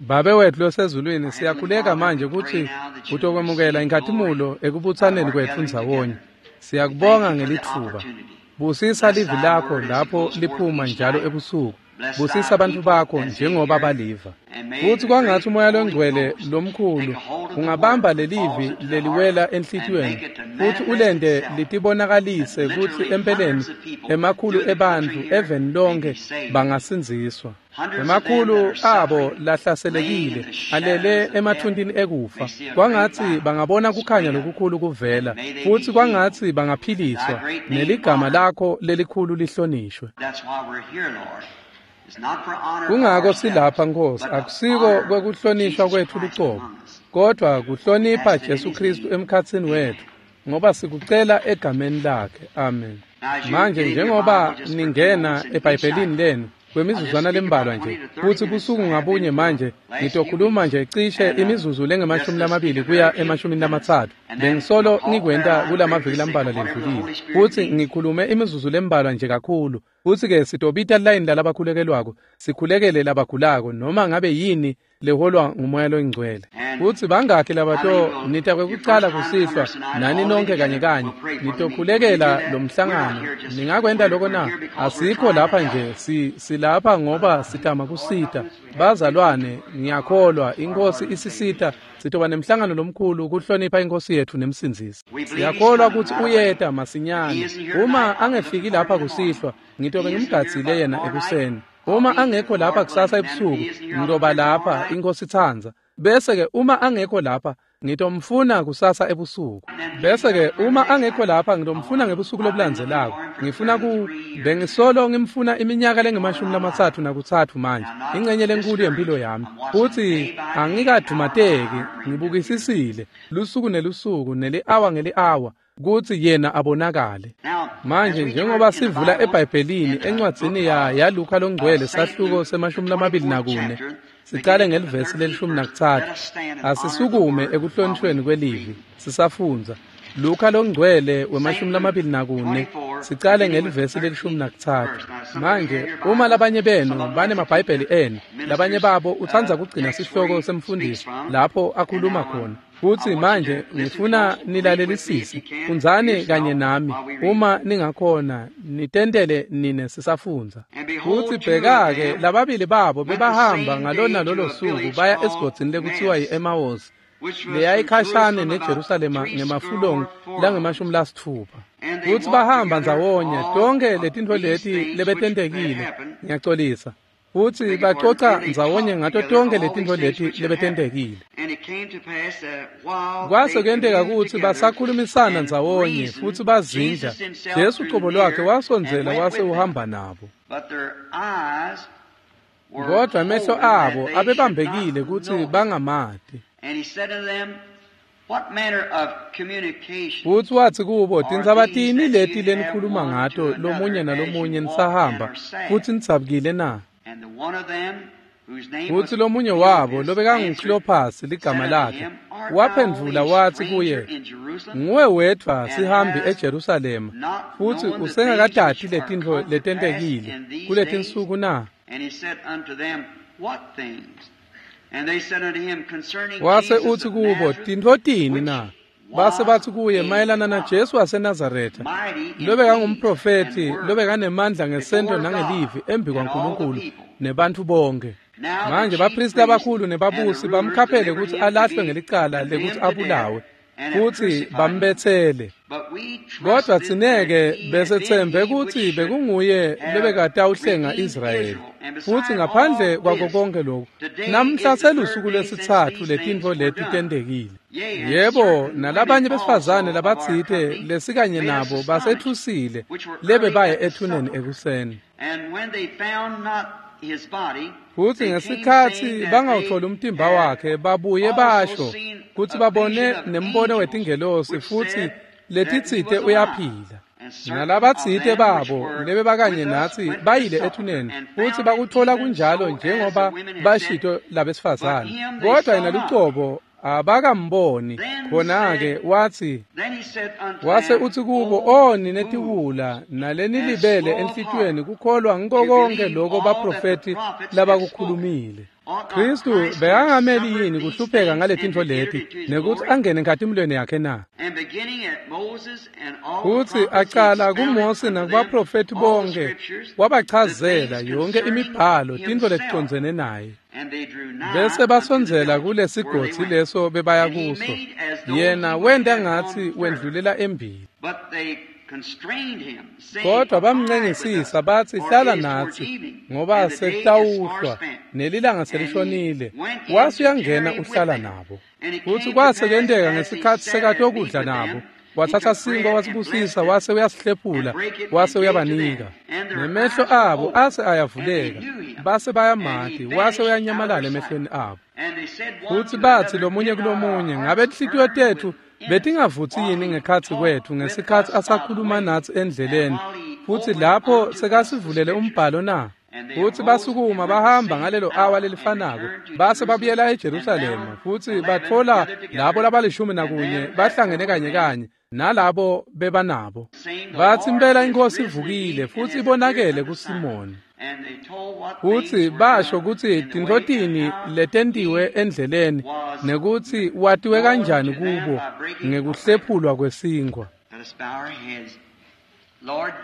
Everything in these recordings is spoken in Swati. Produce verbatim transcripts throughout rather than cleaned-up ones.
Babe wethu losezulwini, siyakhuleka manje kutsi utokwemukela inkhatimulo ekubutsaneni kwetfu ndzawonye. Siyakubonga ngelitfuba. Busisa livi lakho lapho liphuma njalo ebusuku. Busisa bantfu bakho njengoba baliva. Futsi kwangatsi umoya longcwele lomkhulu ungabamba lelivi leliwela enhlitiyweni futsi ulente litibonakalise kutsi empeleni emakhulu ebantfu eveni lonke bangasindziswa. Emakhulu abo lahlaselekile alele emathuntini ekufa. Kwangatsi bangabona kukhanya lokukhulu kuvela futsi kwangatsi bangaphiliswa neligama lakho lelikhulu lihlonishwe. Kungako silapha Nkosi, akusiko kwekuhlonishwa kwetfu lucobo, kodwa kuhlonipha Jesu Kristu emkhatsini wetfu, ngoba sikucela egameni lakhe. Amen. Manje njengoba ningena eBhayibhelini lenu kwemizuzwana lembalwa nje, futsi busuku ngabunye manje ngitokhuluma nje cishe imizuzu lengemashumi lamabili kuya emashumini lamatsatfu. Bengisolo ngikwenta kulamaviki lambalwa lendlulile, futsi ngikhulume imizuzu lembalwa nje kakhulu. Futsi-ke sitobita layini lalabakhulekelwako, sikhulekele labagulako, noma ngabe yini leholwa ngumoya longcwele. Futsi bangakhi labato nita kwekucala kusihlwa nani nonke kanye kanye nitokhulekela lo mhlangano. Ningakwenta lokho na? Asikho lapha nje, si silapha ngoba sitama kusita bazalwane. Ngiyakholwa inkosi isisita sitoba nemhlangano lomkhulu kuhlonipha inkosi yethu nemsindzisi. Siyakholwa kutsi uyeta masinyane. Uma angefiki lapha kusihlwa, ngitobe ngimgadzile yena ekuseni. Uma angekho lapha kusasa ebusuku, ngitoba lapha inkosi itsandza. Bese-ke uma angekho lapha, ngitomfuna kusasa ebusuku. Bese-ke uma angekho lapha, ngitomfuna ngebusuku lobulandzelako. Ngifuna ku bengisolo ngimfuna iminyaka lengemashumi lamatsatfu nakutsatfu manje, ingcenye lenkulu yempilo yami. Futsi angikadumateki, ngibukisisile lusuku nelusuku neli-awa ngeli-awa kutsi yena abonakale. Manje njengoba sivula eBhayibhelini encwadzini ya yaLuka longcwele sahluko semashumi lamabili nakune, sicale ngelivesi lelishumi nakutsatfu. Asisukume ekuhlonishweni kwelivi sisafundza. Luka longcwele wemashumi lamabili nakune, sicale ngelivesi lelishumi nakutsatfu. Manje uma labanye benu banemabhayibheli enu, labanye babo utsandza kugcina sihloko semfundisi lapho akhuluma khona. Futsi manje ngifuna nilalelisise, fundzani kanye nami uma ningakhona, nitentele nine sisafundza. Futsi bheka-ke lababili babo bebahamba ngalona lolo suku baya esigodzini lekutsiwa yi-Emawusi, leyayikhashane neJerusalema ngemafulongi langemashumi lasitfupha. Futsi bahamba ndzawonye tonkhe letintfo leti lebetentekile. Ngiyacolisa. Futsi bacoca ndzawonye ngato tonkhe letintfo leti lebetentekile. Kwase kuyenteka kutsi basakhulumisana ndzawonye futsi bazindla, Jesu cobo lwakhe wasondzela wase uhamba nabo. Kodwa amehlo abo abebambekile kutsi bangamati. Futsi watsi kubo, tindzaba tini leti lenikhuluma ngato lomunye nalomunye nisahamba futsi nidzabukile na? Futsi lomunye wabo lobekanguKlophasi ligama lakhe waphendvula watsi kuye, nguwe wedvwa sihambi eJerusalema futsi usengakatati letintfo letentekile kuletinsuku na? Wase utsi kubo, tintfo tini na? Base batsi kuye, mayelana naJesu waseNazaretha, lobekangumprofethi lobekanemandla ngesento nangelivi embi kwaNkulunkulu nebantfu bonke. Manje baphristi labakhulu nebabusi bamkhaphele kutsi alahlwe ngelicala lekutsi abulawe, futsi bambetsele. Kodwa tsineke besetsembe kutsi bekunguye lobekatawuhlenga Israyeli. Futsi ngaphandle kwako konke lokhu, namhla selusuku lwesitsatfu letintfo leti tentekile. Yebo, nalabanye besifazane labatsite lesikanye nabo basetfusile lebebaye ethuneni ekuseni. Futsi ngesikhatsi bangawutfoli umtimba wakhe, babuye basho kutsi babone nembono wetingelosi futsi letitsite uyaphila. Nalabatsite babo lebebakanye natsi bayile ethuneni futsi bakutfola kunjalo njengoba bashito labesifazane, kodwa yena lucobo abakamboni. Khona-ke watsi, wase utsi kubo, o nine tiwula nalenilibele enhlitiyweni kukholwa ngiko konke loko baprofethi labakukhulumile. Kristu bekangameli yini kuhlupheka ngaletintfo leti nekutsi angene enkhatimulweni yakhe na? Futsi acala kuMose nakubaprofethi bonke, wabachazela yonke imibhalo tintfo leticondzene naye. Bese basondzela kulesigodzi leso bebaya kuso. Yena wenta ngatsi wendlulela embili. Kodwa bamncengisisa batsi hlala natsi ngoba sekutawuhlwa nelilanga selishonile. Wase uyangena uhlala nabo. Futsi kwase kwenteka ngesikhatsi sekatokudla nabo, wathatha sinkwa wasibusisa wase uyasihlephula wase uyabanika. Nemehlo abo ase ayavuleka base bayamati wase uyanyamalala emehlweni abo. Futsi batsi lomunye kulomunye, ngabe tinhlitiyo tetfu betingavutsi yini ngekhatsi kwetfu ngesikhatsi asakhuluma natsi endleleni futsi lapho sekasivulele umbhalo na? Futsi basukuma bahamba ngalelo awa lelifanako base babuyela eJerusalema futsi batfola labo labalishumi nakunye bahlangene kanye kanye nalabo bebanabo. Batsi impela iNkhosi ivukile futsi ibonakele kuSimoni. Futsi basho kutsi tintfo tini letentiwe endleleni nekutsi watiwe kanjani kubo ngekuhlephulwa kwesinkhwa.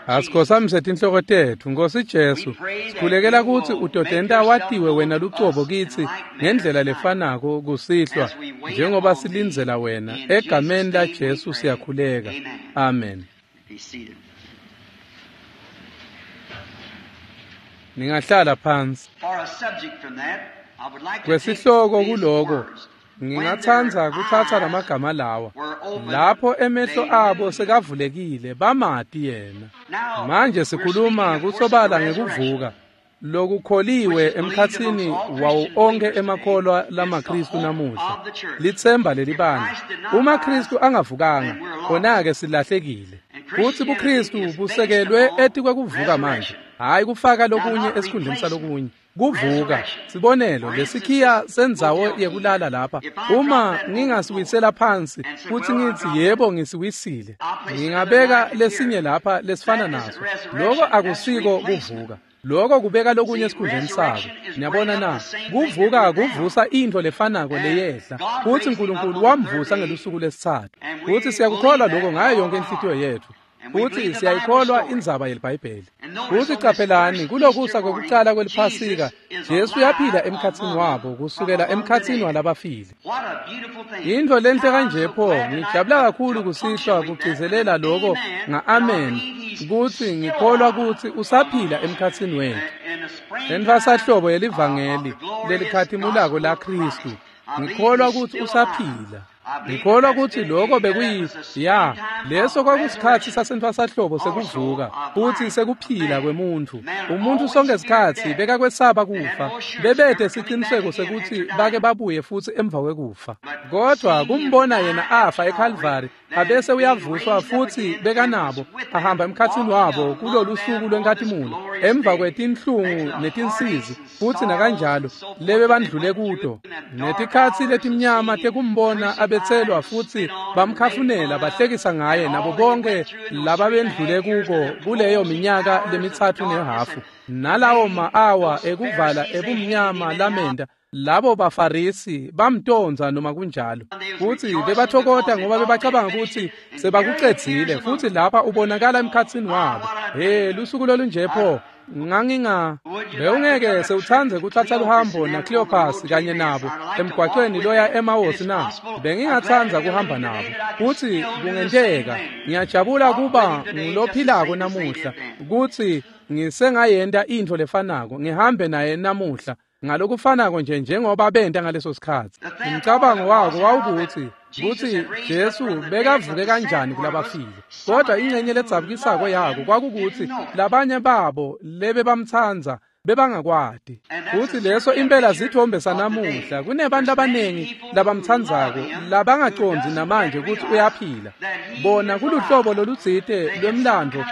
Asikhotsamise tinhloko tetfu, Nkosi Jesu, sikhulekela kutsi utotenta watiwe wena lucobo kitsi ngendlela lefanako kusihlwa njengoba silindzela wena. Egameni laJesu siyakhuleka. Amen. Ningahlala phansi. Kwesihloko kuloko ngingatsandza kutsatsa lamagama lawa. Lapho emehlo abo sekavulekile bamati yena. Manje sikhuluma kusobala ngekuvuka lokukholiwe emkhatsini wawo onke emakholwa lamaKristu namuhla. Litsemba lelibandla. Uma Kristu angavukanga, khona-ke silahlekile. Futsi buKristu busekelwe etikwekuvuka manje, hhayi kufaka lokunye esikhundleni salokunye. Kuvuka, sibonelo lesikhiya sendzawo yekulala lapha. Uma ngingasiwisela phansi futsi ngitsi yebo ngisiwisile, ngingabeka lesinye lapha lesifana naso. Loko akusiko kuvuka. Loko kubeka lokunye esikhundleni sako. Niyabona na? Kuvuka kuvusa intfo lefanako leyehla. Futsi Nkulunkulu wamvusa ngelusuku lesitsatfu. Futsi siyakukholwa lokho ngayo yonke inhlitiyo yetfu. Futsi siyayikholwa indzaba yeliBhayibheli. Futsi qaphelani kulokusa kwekucala kweliPhasika, Jesu uyaphila emkhatsini wabo kusukela emkhatsini walabafile. Intfo lenhle kanje pho, ngijabula kakhulu kusihlwa kugcizelela loko nga-amen kutsi ngikholwa kutsi usaphila emkhatsini wetfu. Entfwasahlobo yelivangeli lelikhatimulako laKhristu, ngikholwa kutsi usaphila. Ngikholwa kutsi lokho bekuyi ya leso kwakusikhatsi sasentfwasahlobo sekuvuka futsi sekuphila kwemuntfu. Umuntfu sonke sikhatsi bekakwesaba kufa, bebete siciniseko sekutsi bake babuye futsi emva kwekufa. Kodwa kumbona yena afa eKalvari abese uyavuswa futsi bekanabo ahamba emkhatsini wabo kulolu suku lwenkhatimulo emva kwetinhlungu netinsizi futsi nakanjalo lebebandlule kuto netikhatsi letimnyama tekumbona abetselwa futsi bamkhafunela bahlekisa ngaye nabo bonke lababendlule kuko kuleyo minyaka lemitsatfu nehafu nalawo ma-awa ekuvala ebumnyama lamenta labo baFarisi bamtonza noma kunjalo. Futsi bebathokota ngoba bebacabanga kutsi sebakucedzile futsi lapha ubonakala emkhatsini wabo. He, lusuku lolunje pho. Nganginga bewungeke sewutsandze kutsatsa luhambo naCleopas kanye nabo emgwacweni loya eMawosi na? Bengingatsandza kuhamba nabo. Futsi kungenteka ngiyajabula kuba ngulophilako namuhla kutsi ngisengayenta intfo lefanako ngihambe naye namuhla ngalokufanako nje njengoba benta ngaleso sikhatsi. Umcabango wako wawukuthi kutsi Jesu bekavuke kanjani kulabafile. Kodwa ingcenye ledzabukisako yako kwakukuthi labanye babo lebebamtsandza bebangakwati. Futsi leso impela zithombe sanamuhla. Kunebantu labaningi labamtsandzako labangacondzi namanje kutsi uyaphila. Bona kuluhlobo lolutsite lwemlandvo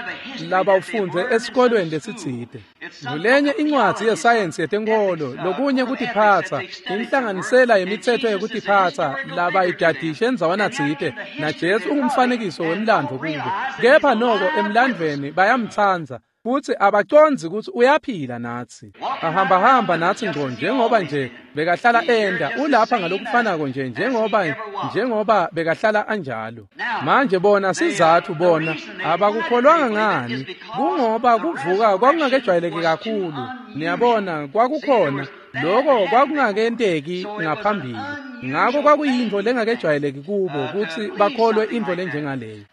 labawufundze esikolweni lesitsite. Ngulenye incwadzi yesayensi yetenkholo lokunye kutiphatsa, inhlanganisela yemitsetfo yekutiphatsa labayidadishe endzawana tsite, naJesu ungumfanekiso wemlandvo kubo. Kepha noko emlandvweni bayamtsandza. Futsi abacondzi kutsi uyaphila natsi. Ahamba hamba natsi ngco njengoba nje bekahlala enda, ulapha ngalokufanako nje njengoba njengoba bekahlala anjalo. Manje bona sizathu bona abakukholwanga ngani, kungoba kuvuka kwakungakejwayeleki kakhulu. Niyabona, kwakukhona lokho kwakungakenteki ngaphambili. Ngako kwakuyintfo lengakejwayeleki kubo kutsi bakholwe intfo lenjengaleyo.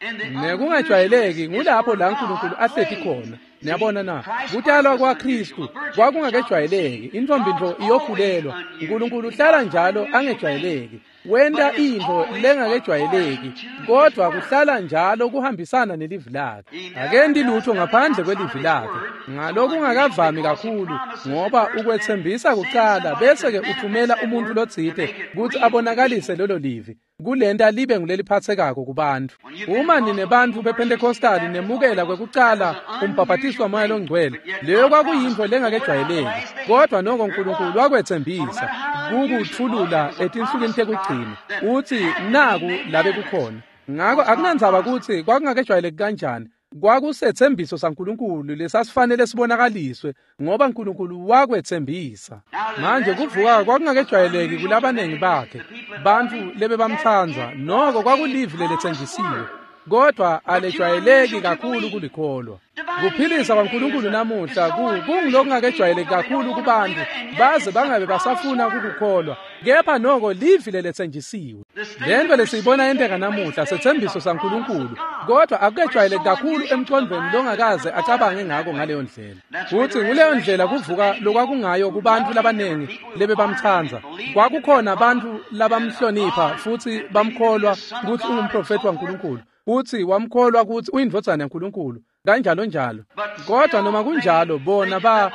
Nekungajwayeleki ngulapho la uNkulunkulu ahleti khona. Niyabona na? Kutalwa kwaKristu kwakungakejwayeleki. Intfombi ntfo iyokhulelwa. uNkulunkulu uhlala njalo angejwayeleki. Wenta intfo lengakejwayeleki, kodvwa kuhlala njalo kuhambisana nelivi lakhe. Akenti lutho ngaphandle kwelivi lakhe. Ngalokungakavami kakhulu, ngoba ukwetsembisa kucala bese-ke uthumela umuntfu lotsite kutsi abonakalise lelo livi, kulenta libe nguleliphatsekako kubantfu. Uma ninebantfu bePentecostali nemukela kwekucala umbhabhatiso waMoya loNgcwele, leyo kwakuyintfo lengakejwayeleki, kodvwa noko uNkulunkulu wakwetsembisa kukutfulula etinsukwini tekugcina, utsi naku labe kukhona. Ngako akunandzaba kutsi kwakungakejwayeleki kanjani, kwakusetsembiso saNkulunkulu lesasifanele sibonakaliswe, ngoba uNkulunkulu wakwetsembisa. Manje kuvuka kwakungakejwayeleki kulabanengi bakhe, bantfu lebebamtsandza, noko kwakulivi leletsenjisiwe, kodvwa alejwayeleki kakhulu kulikholwa. Kuphilisa kwaNkulunkulu namuhla kungulokungakejwayeleki kakhulu kubantfu, baze bangabe basafuna kukukholwa, kepha noko livi leletsenjisiwe. Lento lesiyibona yenteka namuhla setsembiso saNkulunkulu, kodvwa akukejwayeleki kakhulu emcondvweni longakaze acabange ngako ngaleyo ndlela. Futsi nguleyo ndlela kuvuka lokwakungayo kubantfu labanengi lebebamtsandza. Kwakukhona bantfu labamhlonipha futsi bamkholwa kutsi ungumprofethi waNkulunkulu, futsi wamkholwa kutsi uyindvodzana yaNkulunkulu, kanjalo njalo. Kodwa noma kunjalo bona ba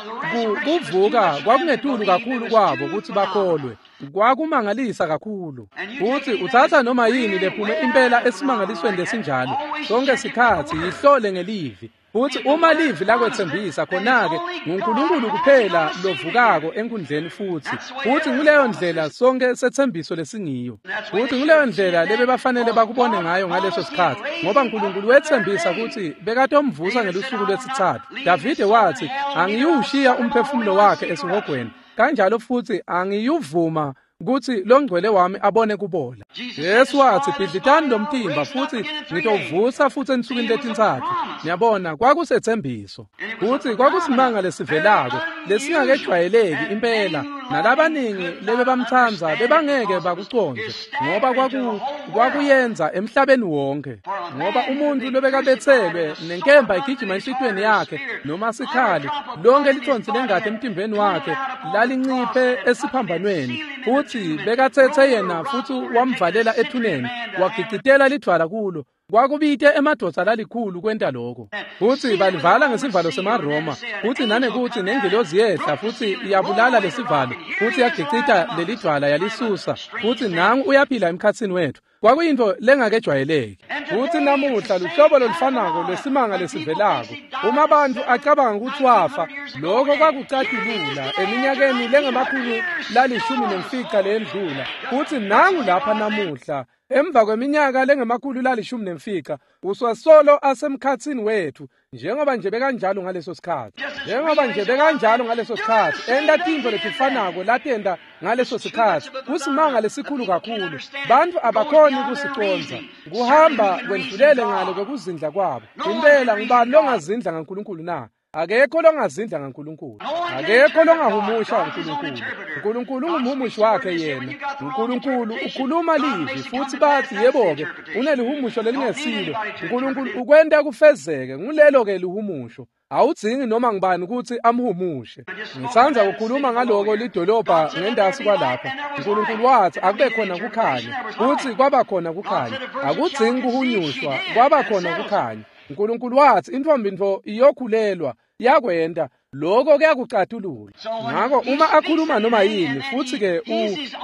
kuvuka kwakungetulu kakhulu kwabo kutsi bakholwe. Kwakumangalisa kakhulu. Futsi utsatsa noma yini lephume impela esimangalisweni lesinjalo, sonke sikhatsi yihlole ngelivi. Futsi uma livi lakwetsembisa, khona-ke nguNkulunkulu kuphela lovukako enkundleni futsi. Futsi nguleyo ndlela sonke setsembiso lesingiyo. Futsi nguleyo ndlela lebebafanele bakubone ngayo ngaleso sikhatsi, ngoba uNkulunkulu wetsembisa kutsi bekatomvusa ngelusuku lwesitsatfu. Davide watsi, angiyuwushiya umphefumulo wakhe esihogweni, kanjalo futsi angiyuvuma kutsi longcwele wami abone kubola. Jesu watsi, bhidlitani lo mtimba futsi ngitowuvusa futsi ensukwini letintsatfu. Niyabona, kwakusetsembiso. Futsi kwakusimanga lesivelako lesingakejwayeleki impela, nalabaningi lebebamtsandza bebangeke bakucondze, ngoba kwaku kwakuyenza emhlabeni wonke. Ngoba umuntfu lobekabetselwe nenkemba igijima enhlitiyweni yakhe noma sikhali, lonke lithontsi lengati emtimbeni wakhe lalinciphe esiphambanweni, futsi bekatsetse yena futsi wamvalela ethuneni, wagicitela lidvwala kulo. Kwakubite emadvodza lalikhulu kwenta lokho. Futsi balivala ngesivalo semaRoma, futsi nanekutsi nengilozi yehla futsi yabulala lesivalo, futsi yagicita lelidvwala yalisusa, futsi nangu uyaphila emkhatsini wetfu. Kwakuyintfo lengakejwayeleki. Futsi namuhla luhlobo lolufanako lwesimanga lesivelako. Uma bantfu acabanga kutsi wafa, lokho kwakucatulula eminyakeni lengemakhulu lalishumi nemfica leyendlula. Futsi nangu lapha namuhla, emva kweminyaka lengemakhulu lalishumi nemfica, usasolo asemkhatsini wetfu, njengoba nje bekanjalo ngaleso sikhatsi. Njengoba nje bekanjalo ngaleso sikhatsi, enta tintfo letifanako latenta ngaleso sikhatsi. Kusimanga lesikhulu kakhulu, bantfu abakhoni kusicondza. Kuhamba kwendlulele ngalo kwekuzindla kwabo. Impela ngubani longazindla ngaNkulunkulu na? Akekho longazindla ngaNkulunkulu. Akekho longahumusha uNkulunkulu. uNkulunkulu ungumhumushi wakhe yena. uNkulunkulu ukhuluma livi futsi bathi yebo-ke unelihumusho lelingesilo. uNkulunkulu ukwenta kufezeke, ngulelo-ke lihumusho. Awudzingi noma ngubani kutsi amhumushe. Ngitsandza kukhuluma ngaloko lidolobha ngendasi kwalapha. uNkulunkulu wathi akube khona kukhanya, futsi kwaba khona kukhanya. Akudzingi kuhunyushwa, kwaba khona kukhanya. uNkulunkulu wathi intfombi ntfo iyokhulelwa, yakwenta. Lokho kuyakucatulula. Ngako uma akhuluma noma yini, futsi-ke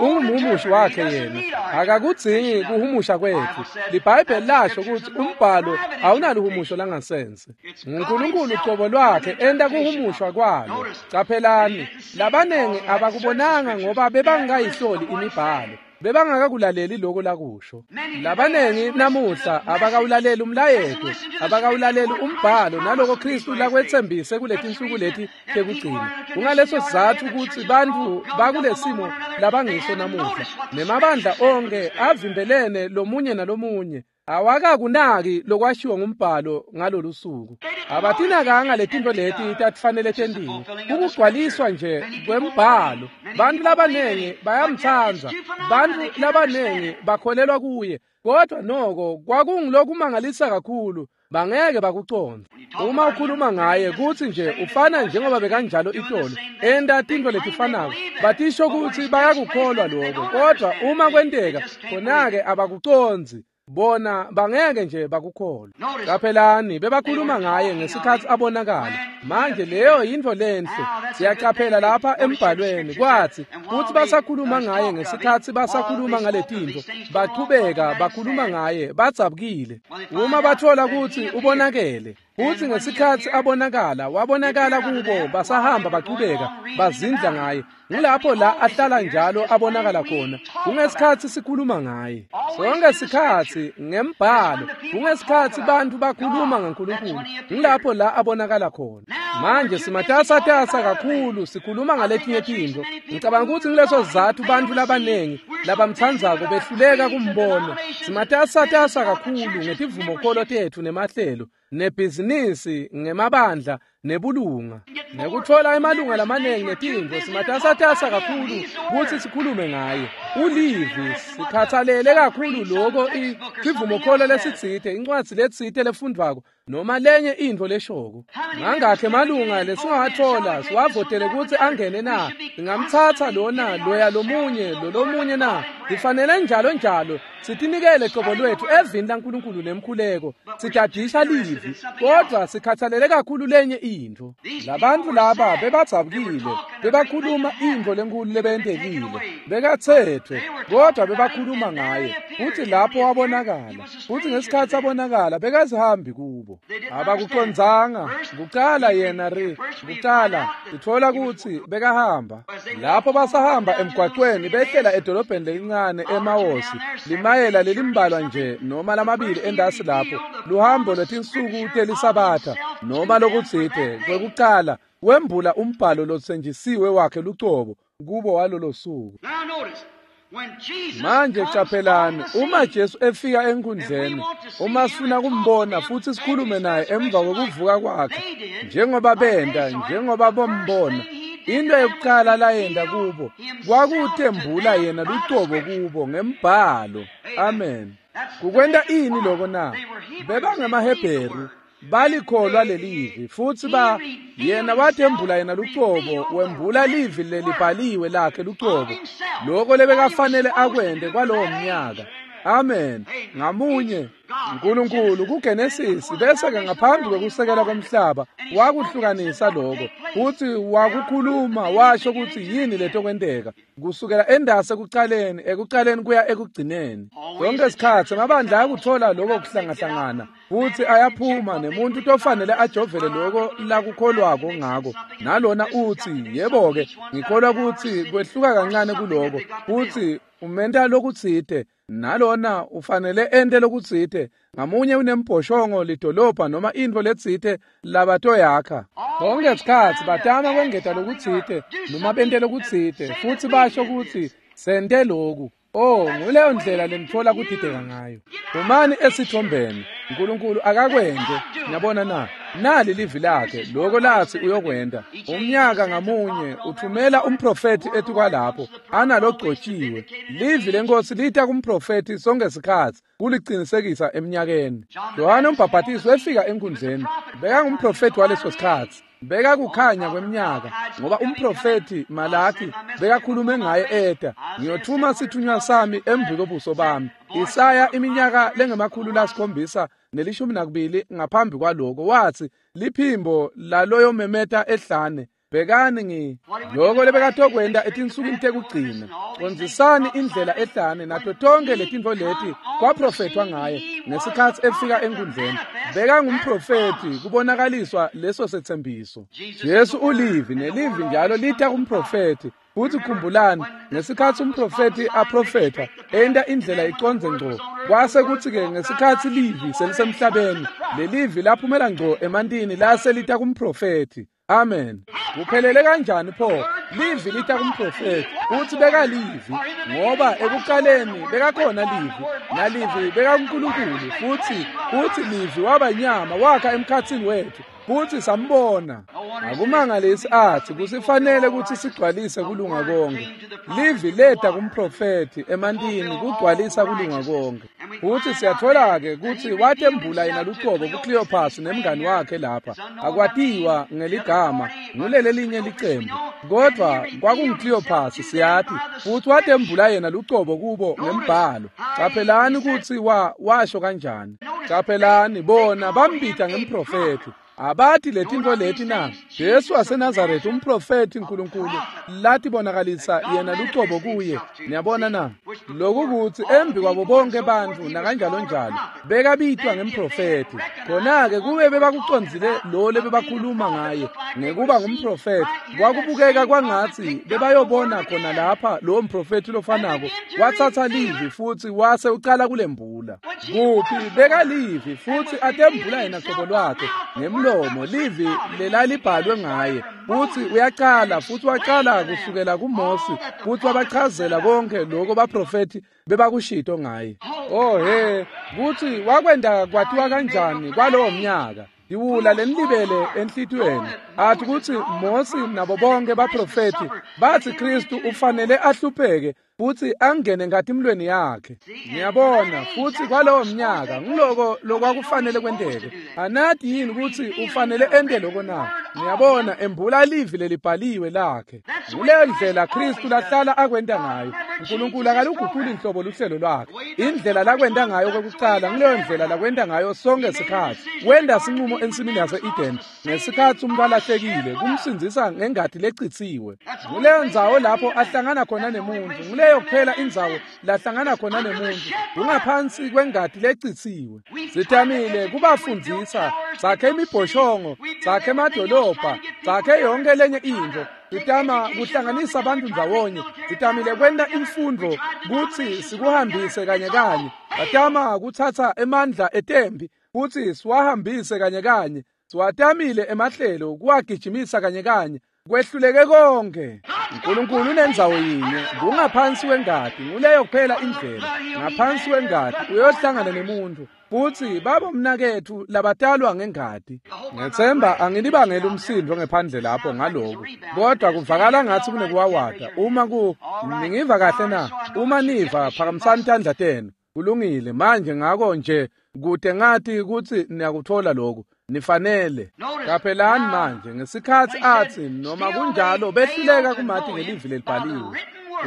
ungumhumushi wakhe yena, akakudzingi kuhumusha kwetfu. LiBhayibheli lasho kutsi umbhalo awunaluhumusho langasense. NguNkulunkulu cobo lwakhe enta kuhumushwa kwalo. Caphelani, labanengi abakubonanga ngoba bebangakayihloli imibhalo. Bebangakakulaleli lokho lakusho. Labanengi namuhla abakawulaleli umlayeto, abakawulaleli umbhalo naloko Kristu lakwetsembise kuletinsuku leti tekugcina. Kungaleso sizatfu kutsi bantfu bakulesimo labangiso namuhla. Nemabandla onke avimbelene lomunye nalomunye. Awakakunaki lokwashiwo ngumbhalo ngalolu suku. Abatinakanga letinto leti tatifanele tentiwe. Kukugcwaliswa nje kwembhalo. Bantu labanengi bayamtsandza. Bantu labanengi bakholelwa kuye. Kodwa noko kwakungulokumangalisa kakhulu. Bangeke bakucondze. Uma ukhuluma ngaye kutsi nje ufana njengoba bekanjalo itolo, enta tintfo letifanako, batisho kutsi bayakukholwa lokho, kodwa uma kwenteka khona-ke abakucondzi. Bona bangeke nje bakukholwa. Qaphelani bebakhuluma ngaye ngesikhatsi abonakala. Manje leyo yintfo lenhle. Siyacaphela lapha embhalweni kwatsi kutsi basakhuluma ngaye ngesikhatsi basakhuluma ngaletintfo, bachubeka bakhuluma ngaye badzabukile. Uma bathola kutsi ubonakele, futsi ngesikhatsi abonakala wabonakala kubo basahamba bachubeka bazindla ngaye. Ngulapho la ahlala njalo abonakala khona. Kungesikhatsi sikhuluma ngaye. Sonke sikhatsi ngembhalo, kungesikhatsi bantfu bakhuluma ngaNkulunkulu, ngulapho la abonakala khona. Manje simatasatasa kakhulu sikhuluma ngaletinye tintfo. Ngicabanga kutsi nguleso sizatfu bantfu labanengi labamtsandzako behluleka kumbona. Simatasatasa kakhulu ngetivumokholo tetfu nemahlelo, nebhizinisi, ngemabandla, nebulunga, nekutfola emalunga lamanengi netintfo. Simatasatasa kakhulu kutsi sikhulume ngaye. Ulivi sikhatsalele kakhulu loko isivumokholo lesitsite, incwadzi letsite lefundvwako noma lenye intfo leshoko. Mangakhe emalunga lesingawatfola siwavotele kutsi angene na? Singamtsatsa lona loya lomunye lolomunye na? Sifanele njalo njalo sitinikele qobo lwethu evini laNkulunkulu nemkhuleko, sitadisha livi, kodwa sikhatsalele kakhulu lenye intfo. Labantfu laba bebadzabukile, bebakhuluma intfo lenkhulu lebentekile, bekatsetfwe, kodwa bebakhuluma ngaye. Futsi lapho wabonakala, futsi ngesikhatsi abonakala bekazihambi kubo. Abakucondzanga. Kucala yena ri kucala sitfola kutsi bekahamba. Lapho basahamba emgwaqweni behlela edolobheni lelincane eMawosi, limayela lelimbalwa nje noma lamabili endasi lapho, luhambo lwetinsuku telisabatha noma lokutsite. Kwekucala wembula umbhalo lotsenjisiwe wakhe lucobo kubo walolo suku. Manje qaphelani, uma Jesu efika enkundleni, uma sifuna kumbona futsi sikhulume naye emva kokuvuka kwakhe, njengoba benda, njengoba bombona, into yokuqala layenda kubo kwakutembula yena lucobo kubo ngembhalo. Amen. Kukwenta ini lokho na? BebangemaHebheru, balikholwa lelivi, futsi ba yena watembula yena lucobo, wembula livi lelibhaliwe lakhe lucobo, lokho lebekafanele akwente kwalowo mnyaka. Amen. Ngamunye uNkulunkulu kuGenesis bese ke ngaphambi kokusekela komhlaba wakuhlukanisa lokho, futhi wakukhuluma washo ukuthi yini letokwenteka kusukela endase ekuqaleni, ekuqaleni kuya ekugcineni. Sonke isikhathi amabandla ayakuthola lokho kuhlangahlangana, futhi ayaphuma nemuntu tofanele ajovele lokho lakukholwako ngako. Nalona uthi, yebo-ke, ngikholwa ukuthi kwehluka kancane kuloko, futhi umenta lokutsite, nalona ufanele ente lokutsite. Ngamunye unembhoshongo lidolobha noma intfo letsite labatoyakha. Sonke isikhatsi batama kwengeta lokutsite noma bente lokutsite, futhi basho kutsi sente loku. Oh, nguleyo ndlela lenitfola kudideka ngayo. Phumani esithombeni. uNkulunkulu akakwente. Niyabona na? Nali livi lakhe, lokho lathi uyokwenta. Umnyaka ngamunye uthumela umprofethi etukwalapho analogcotshiwe. Livi lenkosi lita kumprofethi sonke isikhatsi kuliqinisekisa eminyakeni. Yohane umbhaphatisi wefika enkundleni, bekangumprofethi waleso sikhatsi. Bekakukhanya kweminyaka, ngoba umprofethi Malaki bekakhulume ngaye eta, ngiyothuma sithunywa sami emva kobuso bami. Isaya iminyaka lengemakhulu lasikhombisa nelishumi nakubili ngaphambi kwaloko wathi, liphimbo laloyo memeta ehlane, Bhekani ngi loko lebekatokwenta etinsukwini tekugcina. Condzisani indlela ehlane nato tonke letintfo leti kwaprofethwa ngaye ngesikhatsi efika enkundleni. Bekangumprofethi kubonakaliswa leso setsembiso. Jesu ulivi nelivi njalo lita kumprofethi. Futhi khumbulani ngesikhatsi umprofethi aprofetha enta indlela icondze ngco, kwase kutsi-ke ngesikhatsi livi selisemhlabeni lelivi laphumela ngco emantini lase lita kumprofethi. Amen. Kuphelele kanjani pho? Livi lita kumprofethi futhi bekalivi, ngoba ekuqaleni bekakhona livi, nalivi bekakuNkulunkulu, futhi futhi livi waba inyama wakha emkhatsini wethu futhi sambona. Akumangalisi athi kusifanele ukuthi sigcwalise kulunga konke. Livi leta kumprofethi emantini kugcwalisa kulunga konke. Futhi siyathola-ke kutsi watembula yena lucobo kuCleopas nemngani wakhe lapha. Akwatiwa ngeligama ngulele linye licembu, kodwa kwakunguCleopas siyati. Futhi watembula yena lucobo kubo ngembhalo. Caphelani kutsi wa washo kanjani. Caphelani bona bambita ngemprofethi. Abathi letintfo leti na? Jesu waseNazaretha umprofethi uNkulunkulu latibonakalisa yena lucobo kuye. Niyabona na? Lokhu kutsi embi kwabo bonke bantfu nakanjalo njalo bekabitwa ngemprofethi. Khona-ke kube bebakucondzile lo lebebakhuluma ngaye ngekuba ngumprofethi, kwakubukeka kwangatsi bebayobona khona lapha lowo mprofethi lofanako watsatsa livi futhi wase ucala kulembula. Kuphi bekalivi futhi atembula yena cobo lwakhe ngemlomo livi lelalibhalwe ngaye. Futhi uyaqala futhi waqala kusukela kuMose futhi wabachazela konke lokho baprofethi bebakushito ngaye. Oh he, kuthi wakwenda kwatiwa kanjani kwalowo mnyaka. Iwula lenilibele enhlitiyweni athi kutsi Mose nabo bonke baprofethi bathi Kristu ufanele ahlupheke futhi angene ngatimlweni yakhe. Ngiyabona futhi kwalowo mnyaka ngiloko lokwakufanele kwenteke. Anathi yini ukuthi ufanele ente lokho na? Ngiyabona embula livi lelibhaliwe lakhe. Kuleyo ndlela Kristu lahlala akwenta ngayo. uNkulunkulu akaluguquli inhlobo luhlelo lwakhe. Indlela lakwenta ngayo kokuqala ngileyo ndlela lakwenta ngayo sonke isikhathi. Wenda sinqumo ensimini yase-Eden ngesikhathi umuntu alahlekile kumsindzisa ngengati lecitsiwe. Kuleyo ndzawo lapho ahlangana khona nemuntu, nguleyo kuphela indzawo lahlangana khona nemuntu, kungaphansi kwengati lecitsiwe. Sitamile kubafundzisa, sakhe imibhoshongo, sakhe emadolobha, sakhe yonke lenye intfo. Sitama kuhlanganisa abantu ndzawonye, sitamile kwenta imfundo kutsi sikuhambise kanye kanye. Satama kutsatsa emandla etembi kutsi siwahambise kanye kanye. Siwatamile emahlelo kuwagijimisa kanye kanye. Kwehluleke konke. uNkulunkulu unendzawo yinye, kungaphansi kwengati, nguleyo kuphela indlela. Ngaphansi kwengati uyohlangana nemuntu futhi babo mnaketfu labatalwa ngengati. Ngethemba angilibangeli umsindo ngephandle lapho ngalokhu, kodwa kuvakala ngathi kunekuwawata. Uma ku ningiva kahle na? Uma niva phakamisani tandla tenu. Kulungile manje, ngako nje kude ngathi kutsi niyakuthola lokhu. Nifanele. Qaphelani manje ngesikhatsi athi noma kunjalo behluleka kumati ngelivi lelibhaliwe.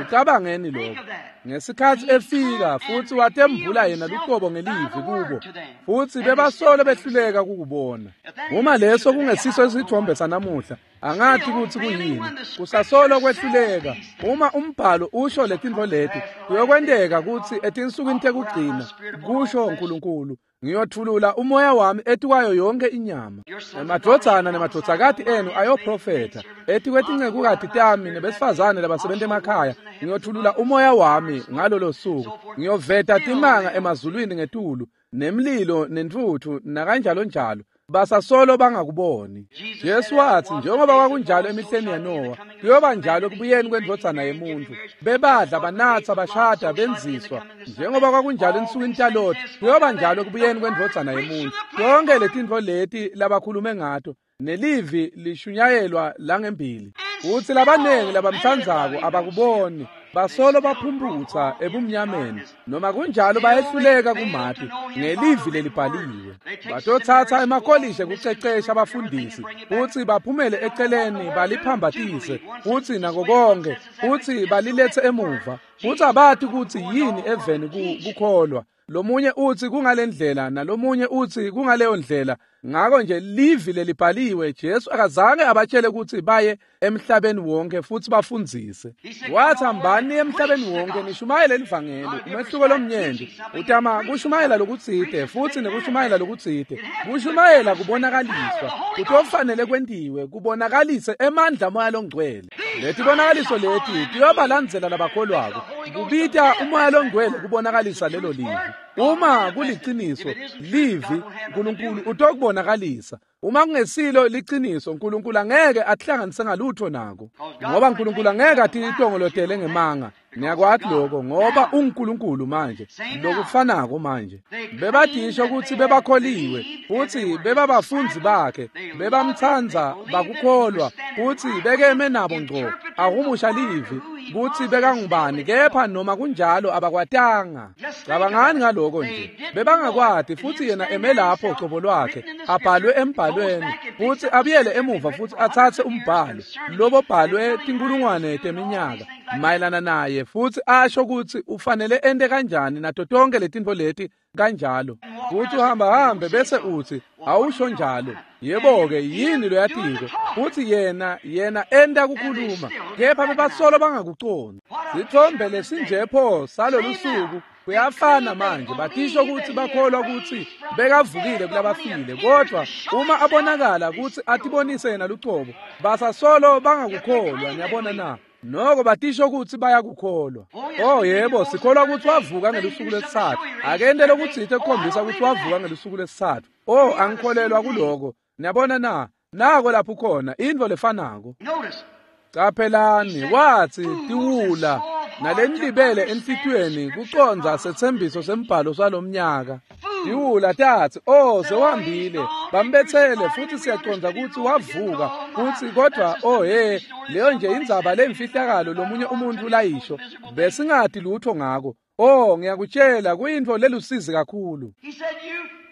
Ucabangeni lokho. Ngesikhatsi efika futhi watembula yena lucobo ngelivi kubo, futhi bebasolo behluleka kukubona. Uma leso kungesiso isithombe sanamuhla, angathi kutsi kuyini. Kusasolo kwehluleka. Uma umbhalo usho letintfo leti, kuyokwenteka kutsi etinsukwini tekugcina, kusho uNkulunkulu, ngiyothulula umoya wami etikwayo yonke inyama. Emadvodzana nemadvodzakati enu ayoprofetha, etikwetincekukati tami nebesifazane labasebenta emakhaya ngiyothulula umoya wami ngalolo suku. Ngiyoveta timanga emazulwini ngetulu, nemlilo nentfutfu nakanjalo njalo. Basasolo bangakuboni. Jesu wathi njengoba kwakunjalo emihleni yaNowa, kuyoba njalo ekubuyeni kwendvodzana yemuntu. Bebadla, banatsa, bashada, benziswa. Njengoba kwakunjalo ensukwini taLoti, kuyoba njalo ekubuyeni kwendvodzana yemuntu. Tonke letintfo leti labakhulume ngato, nelivi lishunyayelwa langembili. Utsi labanengi labamtsandzako abakuboni, basolo baphumputsa ebumnyameni, noma kunjalo bayehluleka kumati ngelivi lelibhaliwe. Batotsatsa emakolishi ekucecesha abafundisi futsi baphumele eceleni baliphambatise futsi nako konke, futsi baliletse emuva, futsi abati kutsi yini eveni kukholwa. Lomunye utsi kungalendlela nalomunye utsi kungaleyo ndlela. Ngako nje livi lelibhaliwe, Jesu akazange abatshele kutsi baye emhlabeni wonke futsi bafundzise. Wathi hambani emhlabeni wonke nishumayele livangeli. Umehluko lomnyenti utama kushumayela lokutsite futsi nekushumayela lokutsite. Kushumayela kubonakaliswa kutofanele kwentiwe kubonakalise emandla moya longcwele. Letibonakaliso leti tiyobalandzela labakholwako. Kubita umoya longcwele kubonakalisa lelo livi. Uma kuliciniso livi uNkulunkulu utokubonakalisa. Uma kungesilo liciniso uNkulunkulu angeke atihlanganise ngalutho nako, ngoba uNkulunkulu angeke atitongolotele ngemanga. Niyakwati lokho, ngoba unguNkulunkulu manje lokufanako manje. Bebadisho ukuthi bebakholiwe futhi bebabafundzi bakhe, bebamtsandza, bakukholwa futhi bekeme nabo ngco ahumusha livi kutsi bekangubani, kepha noma kunjalo abakwatanga. Cabangani ngaloko nje, bebangakwati futhi yena eme lapho cobo lwakhe abhalwe embhalweni futhi abuyele emuva futhi atsatse umbhalo lobobhalwe tinkulungwane teminyaka mayelana naye futhi asho kutsi ufanele ente kanjani nato tonke letintfo leti kanjalo. Futhi uhamba hambe bese utsi awusho njalo. Yebo-ke, yini loyatiko? Futhi yena yena enta kukhuluma, kepha bebasolo bangakucondzi. Sithombe lesinje pho salolu suku kuyafana manje. Batisho kutsi bakholwa kutsi bekavukile kulabafile, kodwa uma abonakala kutsi atibonise yena lucobo, basasolo bangakukholwa. Niyabona na? Noko batisho kutsi bayakukholwa. Oh yebo, sikholwa kutsi wavuka ngelusuku lwesitsatfu. Akente lokutsite kukhombisa kutsi wavuka ngelusuku lwesitsatfu. Oh, angikholelwa kuloko. Niyabona na? Nako lapho khona intfo lefanako. Caphelani, watsi tiwula nalenilibele enhlitiyweni kucondza setsembiso sembhalo salomnyaka. Tiwula tatsi, oh sewuhambile, bambetsele futhi siyacondza kutsi wavuka futsi, kodwa oh he, leyo nje indzaba lemfihlakalo lomunye umuntu layisho, besingati lutho ngako. Oh, ngiyakutshela kuyintfo lelusizi kakhulu.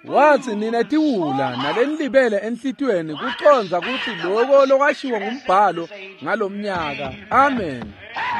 Watsi nina tiwula nalenilibele enhlitiyweni kucondza kutsi loko lokwashiwo ngumbhalo ngalomnyaka. Amen.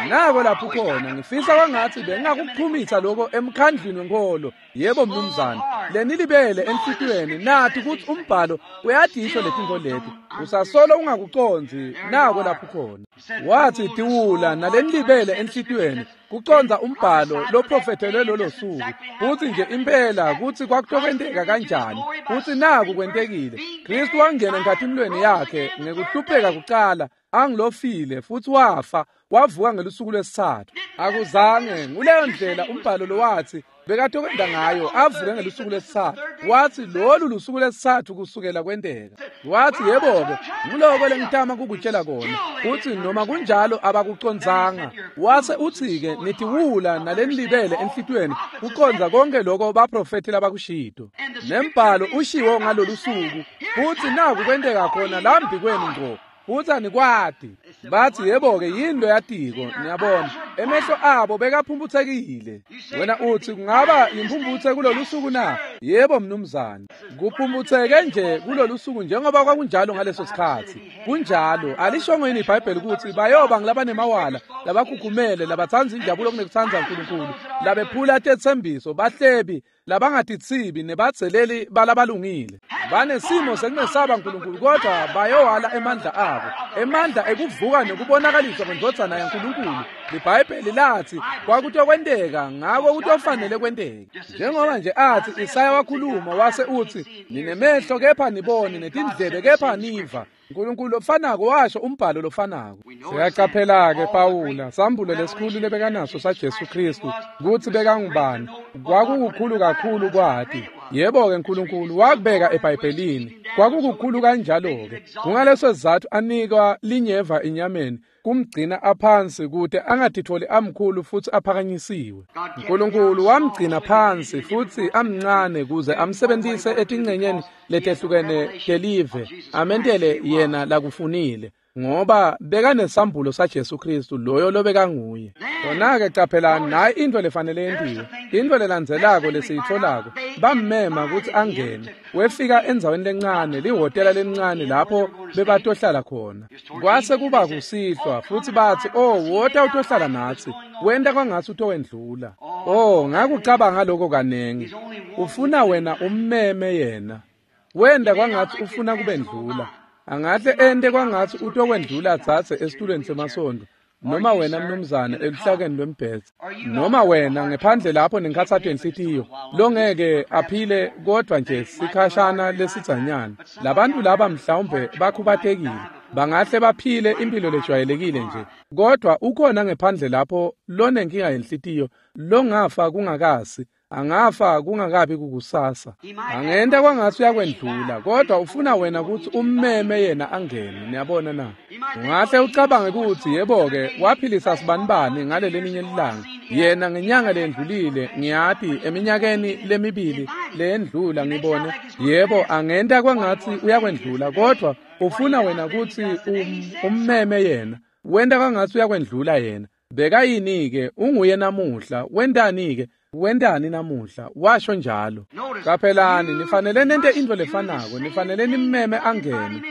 Nako lapho khona. Ngifisa kwangatsi bengingakuchumisa loko emkhandlwini wenkholo. Yebo mnumzane, lenilibele enhlitiyweni nathi kutsi umbhalo uyadisho letintfo leti, usasolo ungakucondzi. Nako lapho khona. Watsi tiwula nalenilibele enhlitiyweni kucondza umbhalo loprofethelwe lolo suku, futsi nje impela kutsi kwakutokwenteka kanjani, futsi naku kwentekile. Kristu wangena enkhatimulweni yakhe ngekuhlupheka kucala angilofile, futhi wafa wavuka ngelusuku lwesitsatfu. Akuzange nguleyo ndlela umbhalo lowathi bekatokwenta ngayo avuke ngelusuku lwesitsatfu. Watsi lolu lusuku lwesitsatfu kusukela kwenteka. Watsi yebo-ke, nguloko lengitama kukutshela kona, kutsi noma kunjalo abakucondzanga. Wase utsi-ke nitiwula nalenilibele enhlitiyweni kucondza konke loko baprofethi labakushito. Nembhalo ushiwo ngalolu suku, futsi naku kwenteka khona lambi kwenu ngco. Futsi anikwati. Batsi yebo-ke, yini loyatiko? Niyabona, emehlo abo bekaphumphutsekile. Wena utsi kungaba yimphumphutse kulolu suku na? Yebo mnumzane, kuphumphutseke nje kulolu suku njengoba kwakunjalo ngaleso sikhatsi. Kunjalo. Alishongo yini iBhayibheli kutsi bayoba ngulabanemawala, labakhukhumele, labatsandza injabulo kunekutsandza uNkulunkulu, labephula tetsembiso, bahlebi, labangatithibi nebadzeleli balabalungile, banesimo sekungesaba uNkulunkulu, kodwa bayowala emandla abo, emandla ekuvuka nekubonakaliswa kwendvodzana yaNkulunkulu. LiBhayibheli lathi kwakutokwenteka, ngako kutofanele kwenteke. Njengoba nje athi Isaya wakhuluma wase utsi ninemehlo kepha nibone, netindlebe kepha niva. uNkulunkulu lofanako washo umbhalo lofanako. Siyacaphela-ke Pawula sambulo lesikhulu lebekanaso saJesu Kristu kutsi bekangubani. Kwakukukhulu kakhulu kwati. Yebo-ke, uNkulunkulu wakubeka eBhayibhelini. Kwakukukhulu kanjalo-ke. Kungaleso sizatfu anikwa linyeva enyameni kumgcina aphansi kute angatitholi amkhulu futhi aphakanyisiwe. uNkulunkulu wamgcina phansi futhi amncane kuze amsebentise etingcenyeni letehlukene telive, amentele yena lakufunile, ngoba bekanesambulo saJesu Kristu loyo lobekanguye. Khona-ke caphelani, nayi intfo lefanele yentiwe. Intfo lelandzelako lesiyitfolako, bammema kutsi angene. Wefika endzaweni lencane, lihhotela lelincane lapho bebatohlala khona. Kwase kuba kusihlwa futhi batsi, oh, wota utohlala natsi. Wenta kwangatsi utowendlula. Oh, ngakucabanga lokho kaningi. Ufuna wena ummeme yena. Wenda kwangathi ufuna kubendlula. Angahle ente kwangathi utokwendlula tsatse esitulweni semasondo. Noma wena mnumzane eluhlakeni lwembhedze, noma wena ngephandle lapho nenkhatsato yenhlitiyo longeke aphile kodwa nje sikhashana lesidzanyana. Labantu laba mhlawumbe bakhubatekile, bangahle baphile impilo lejwayelekile nje, kodwa ukhona ngephandle lapho lonenkinga yenhlitiyo longafa kungakasi, angafa kungakabi kukusasa. Angenta kwangathi uyakwendlula, kodwa ufuna wena ukuthi ummeme yena angene. Niyabona na? Ungahle ucabange ukuthi yebo-ke waphilisa sibanibani ngalelelinye ilanga, yena ngenyanga lendlulile, ngiyati eminyakeni lemibili leyendlula ngibone. Yebo, angenta kwangathi uyakwendlula, kodwa ufuna wena ukuthi um, ummeme yena. Wenta kwangathi uyakwendlula yena. Bekayini-ke? Unguye namuhla. Wentani-ke? Wentani namuhla? Washo njalo. Qaphelani, nifanele nente into lefanako, nifanele nimmeme angene.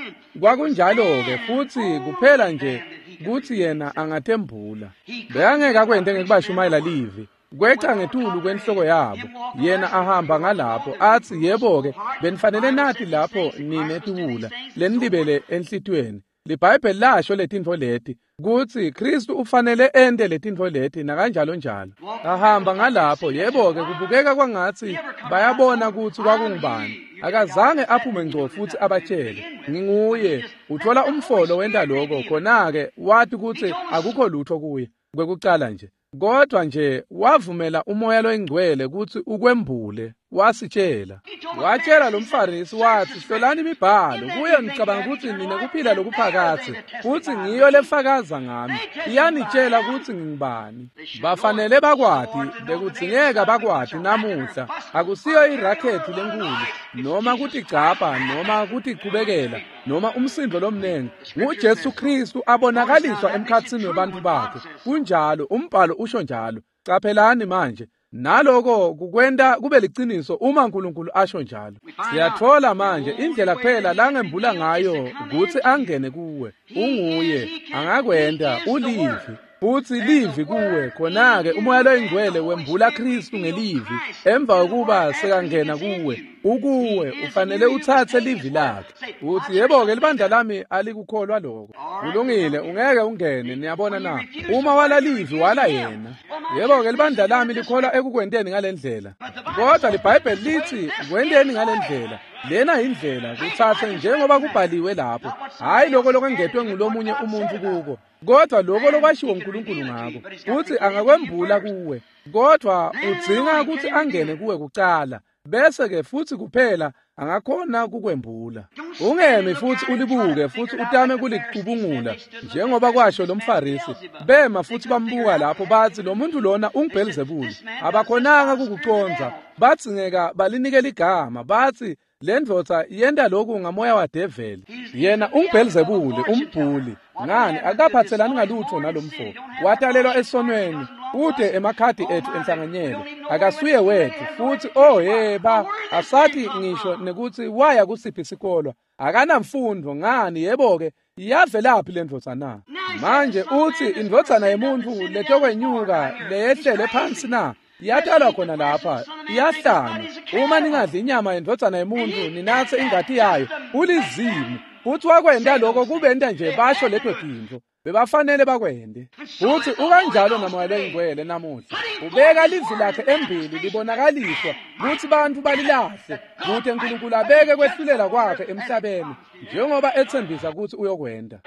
Kwakunjalo-ke futhi kuphela nje kuthi yena angatembula. Bekangeke akwente ngekubashumayela livi. Kweca ngetulu kwenhloko yabo. Yena ahamba ngalapho athi yebo-ke benifanele nathi lapho nine tiwula lenilibele enhlitiyweni. LiBhayibheli lasho letintfo leti kutsi Kristu ufanele ente letintfo leti nakanjalo njalo. Ahamba ngalapho, yebo-ke kubukeka kwangatsi bayabona kutsi kwakungubani. Akazange aphume ngco futsi abatshele nginguye. Uthola umfolo wenta lokho, khona-ke wati kutsi akukho lutho kuye kwekucala nje. Kodwa nje wavumela umoya loyingcwele kutsi ukwembule, wasitshela. Watshela lo mfarisi wathi, hlolani imibhalo, kuyo ngicabanga ukuthi nine kuphila lokuphakathe, futhi ngiyo lefakaza ngami, iyanitshela ukuthi ngingubani. Bafanele bakwati, bekudzingeka bakwati namuhla. Akusiyo irakhethi lenkulu, noma kutigcabha, noma kutichubekela, noma umsindo lomnengi. NguJesu Kristu abonakaliswa emkhatsini webantfu bakhe. Kunjalo, umbhalo usho njalo. Qaphelani manje. Naloko kukwenta kube liciniso uma uNkulunkulu asho njalo. Siyathola manje indlela kuphela langembula ngayo kutsi angene kuwe. Unguye, angakwenta, ulivi. Futhi livi kuwe, khona-ke umoya loyingcwele wembula Kristu ngelivi. Emva kokuba sekangena kuwe, ukuwe, ufanele uthathe livi lakhe. Uthi yebo-ke libandla lami alikukholwa lokho. Kulungile, ungeke ungene, niyabona na? Uma wala livi wala yena. Yebo-ke libandla lami likholwa ekukwenteni ngalendlela. Kodwa liBhayibheli lithi kwenteni ngalendlela. Lena indlela kuthathe njengoba kubhaliwe lapho. Hayi lokho lokwengetwe ngulomunye umuntu kuko, kodwa lokho lokwashiwo uNkulunkulu ngako. Uthi angakwembula kuwe, kodwa udzinga ukuthi angene kuwe kucala, bese ke futhi kuphela angakhona kukwembula. Ungemi futhi ulibuke futhi utame kulicubungula njengoba kwasho lo mfarisi. Bema futhi bambuka lapho bathi lo muntu lona unguBhelzebule. Abakhonanga kukuconza, batsingeka balinikela igama, bathi le ndvodza yenta lokhu ngamoya wadeveli. Yena unguBhelzebule, umbhuli. Ngani akaphathelani ngalutho nalomfo. Watalelwa esonweni, ude emakhadi ethu enhlanganyelo. Akasuye wethu futhi oh yeba asathi ngisho nekuthi waya kusiphi isikolo. Akanamfundo ngani yebo-ke yavelaphi le ndvodza na? Manje uthi indvodzana yemuntu letokwenyuka leyehlele phansi na? Iyatalwa khona lapha, iyahlanya. Uma ningadli inyama yendvodzana yemuntu ninatse ingati yayo, ulizimu. Futhi wakwenta lokho kubenta nje basho leto tintfo. Bebafanele bakwente. Futhi ukanjalo namoya loyingcwele namuhla. Ubeka livi lakhe embili libonakaliswa kutsi bantfu balilahle, kute uNkulunkulu abeke kwehlulela kwakhe emhlabeni njengoba etsembisa kutsi uyokwenta.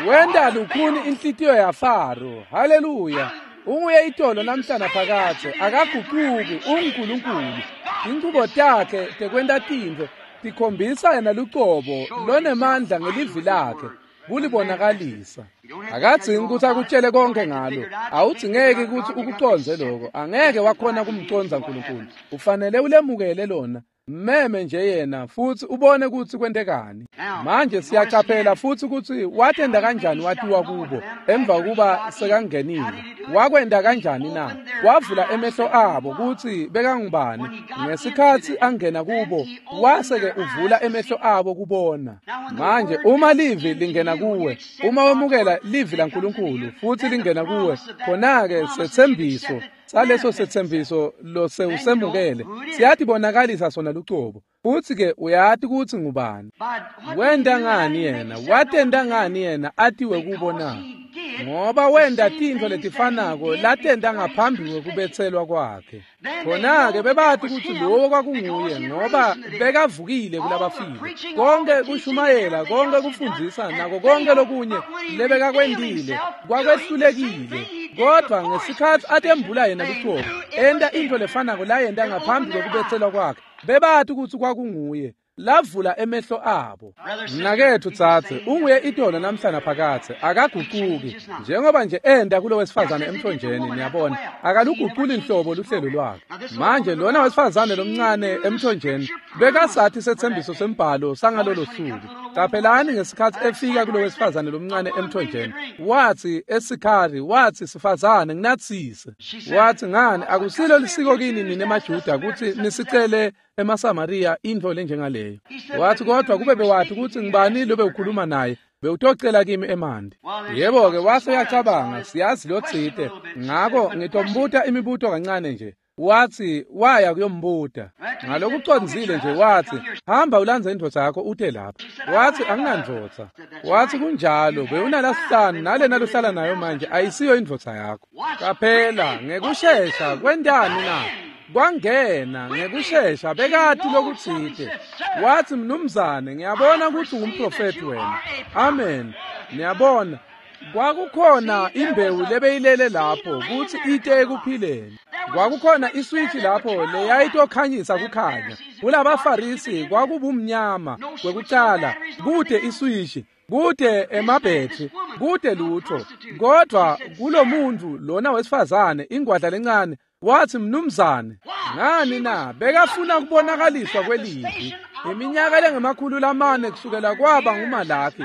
Wenta lukhuni inhlitiyo yaFaro. Haleluya. Unguye itolo namhlana phakathe, akaguquki, unguNkulunkulu. Inchubo takhe tekwenta tintfo tikhombisa yena lucobo lonemandla ngelivi lakhe kulibonakalisa. Akadzingi ukuthi akutshele konke ngalo. Awudzingeki ukuthi ukuconze lokho. Angeke wakhona kumconza uNkulunkulu. Ufanele ulemukele lona. Meme nje yena futhi ubone ukuthi kwentekani. Manje siyacaphela futhi ukuthi watenda kanjani watiwa kubo emva kokuba sekangenile. Wakwenda kanjani na? Wavula emehlo abo ukuthi bekangubani. Ngesikhathi angena kubo wase-ke uvula emehlo abo kubona. Manje uma livi lingena kuwe, uma wemukela livi laNkulunkulu futhi lingena kuwe, khona-ke setsembiso saleso setsembiso losewusemukele siyatibonakalisa sona lucobo, futsi-ke uyati kutsi ngubani. Wenta ngani yena? Watenta ngani yena atiwe kubo na? Ngoba wenta tintfo letifanako latenta ngaphambi kwekubetselwa kwakhe. Khona-ke bebati kutsi lowo kwakunguye ngoba bekavukile kulabafile. Konke kushumayela, konke kufundzisa, nako konke lokunye lebekakwentile kwakwehlulekile. Kodvwa ngesikhatsi atembula yena lucobo, enta intfo lefanako layenta ngaphambi kwekubetselwa kwakhe, bebati kutsi kwakunguye. Lavula emehlo abo. Mnaketfu dzadze, unguye itolo namhla naphakadze, akagucuki njengoba nje enta kulo wesifazane emthonjeni. Niyabona, akaluguculi nhlobo luhlelo lwakhe. Manje lona wesifazane lomncane emthonjeni bekasathi setsembiso sembhalo sangalolo suku. Qaphelani ngesikhatsi efika kulo wesifazane lomncane emthonjeni, watsi eSikhari, watsi, sifazane nginatsise. Watsi, ngani akusilo lisiko kini nine maJuda kutsi nisicele emaSamariya intfo lenjengaleyo. Watsi, kodvwa kube bewathi kutsi ngibani lobe ukhuluma naye, bewutocela kimi emanti. Yebo-ke, wase uyacabanga, siyazi lotsite, ngako ngitombuta imibuto kancane nje. Watsi waya kuyombuta ngalokucondzile nje, watsi, hamba ulandze indvodza yakho ute lapha. Watsi, anginandvodza. Watsi, kunjalo, bewunalasihlanu nalena lohlala nayo manje ayisiyo indvodza yakho. Qaphela ngekushesha, kwentani na? Kwangena ngekushesha, bekati lokutsite. Watsi, mnumzane, ngiyabona kutsi ungumprofethi wena. Amen. Niyabona, kwakukhona imbewu lebeyilele lapho kutsi ite ekuphileni. Kwakukhona iswitch lapho leyayitokhanyisa kukhanya. KulabaFarisi kwakubumnyama kwekucala, kute iswitch, kute emabhetri, kute lutho. Kodvwa kulomuntu lona wesifazane, ingwadla lencane, watsi, mnumzane, ngani na? Bekafuna kubonakaliswa kwelivi. Iminyaka lengemakhulu lamane kusukela kwaba nguMalaki,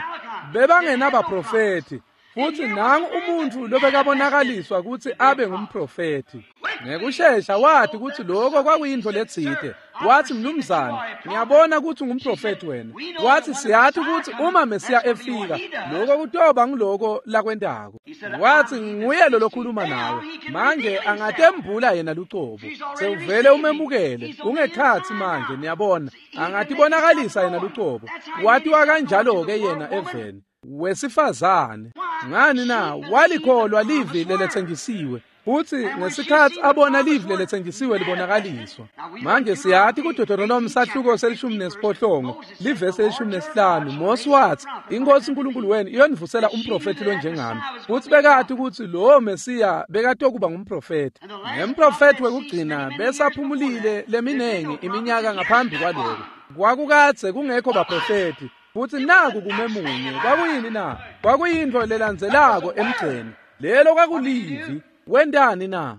bebangenabaprofethi. Futsi nangu umuntfu lobekabonakaliswa kutsi abe ngumprofethi. Ngekushesha wathi kutsi lokho kwakuyintfo letsite. Watsi, mnumzane, ngiyabona kutsi ungumprofethi wena. Watsi, siyathi kutsi uma Mesiya efika, lokho kutoba nguloko lakwentako. Watsi, nguye lo lokhuluma nawe. Manje angatembula yena lucobo. Sewuvele umemukele, ungekhatsi manje, niyabona. Angatibonakalisa yena lucobo. Watiwa kanjalo-ke yena eveni. Wesifazane, ngani na? Walikholwa livi leletsenjisiwe. Futsi ngesikhatsi abona livi leletsenjisiwe libonakaliswa. Manje siyati kuDeuteronomy sahluko selishumi nesiphohlongo, livesi elishumi nesihlanu, Mose watsi, iNkosi uNkulunkulu wenu iyonivusela umprofethi lonjengami. Futsi bekati kutsi lowo Mesiya bekatokuba ngumprofethi. Nemprofethi wekugcina besaphumulile leminengi iminyaka ngaphambi kwaloko. Kwakukadze kungekho baprofethi. Futsi naku kumemunye, kwakuyini na? Kwakuyintfo lelandzelako emgceni. Lelo kwakulivi. Wentani na?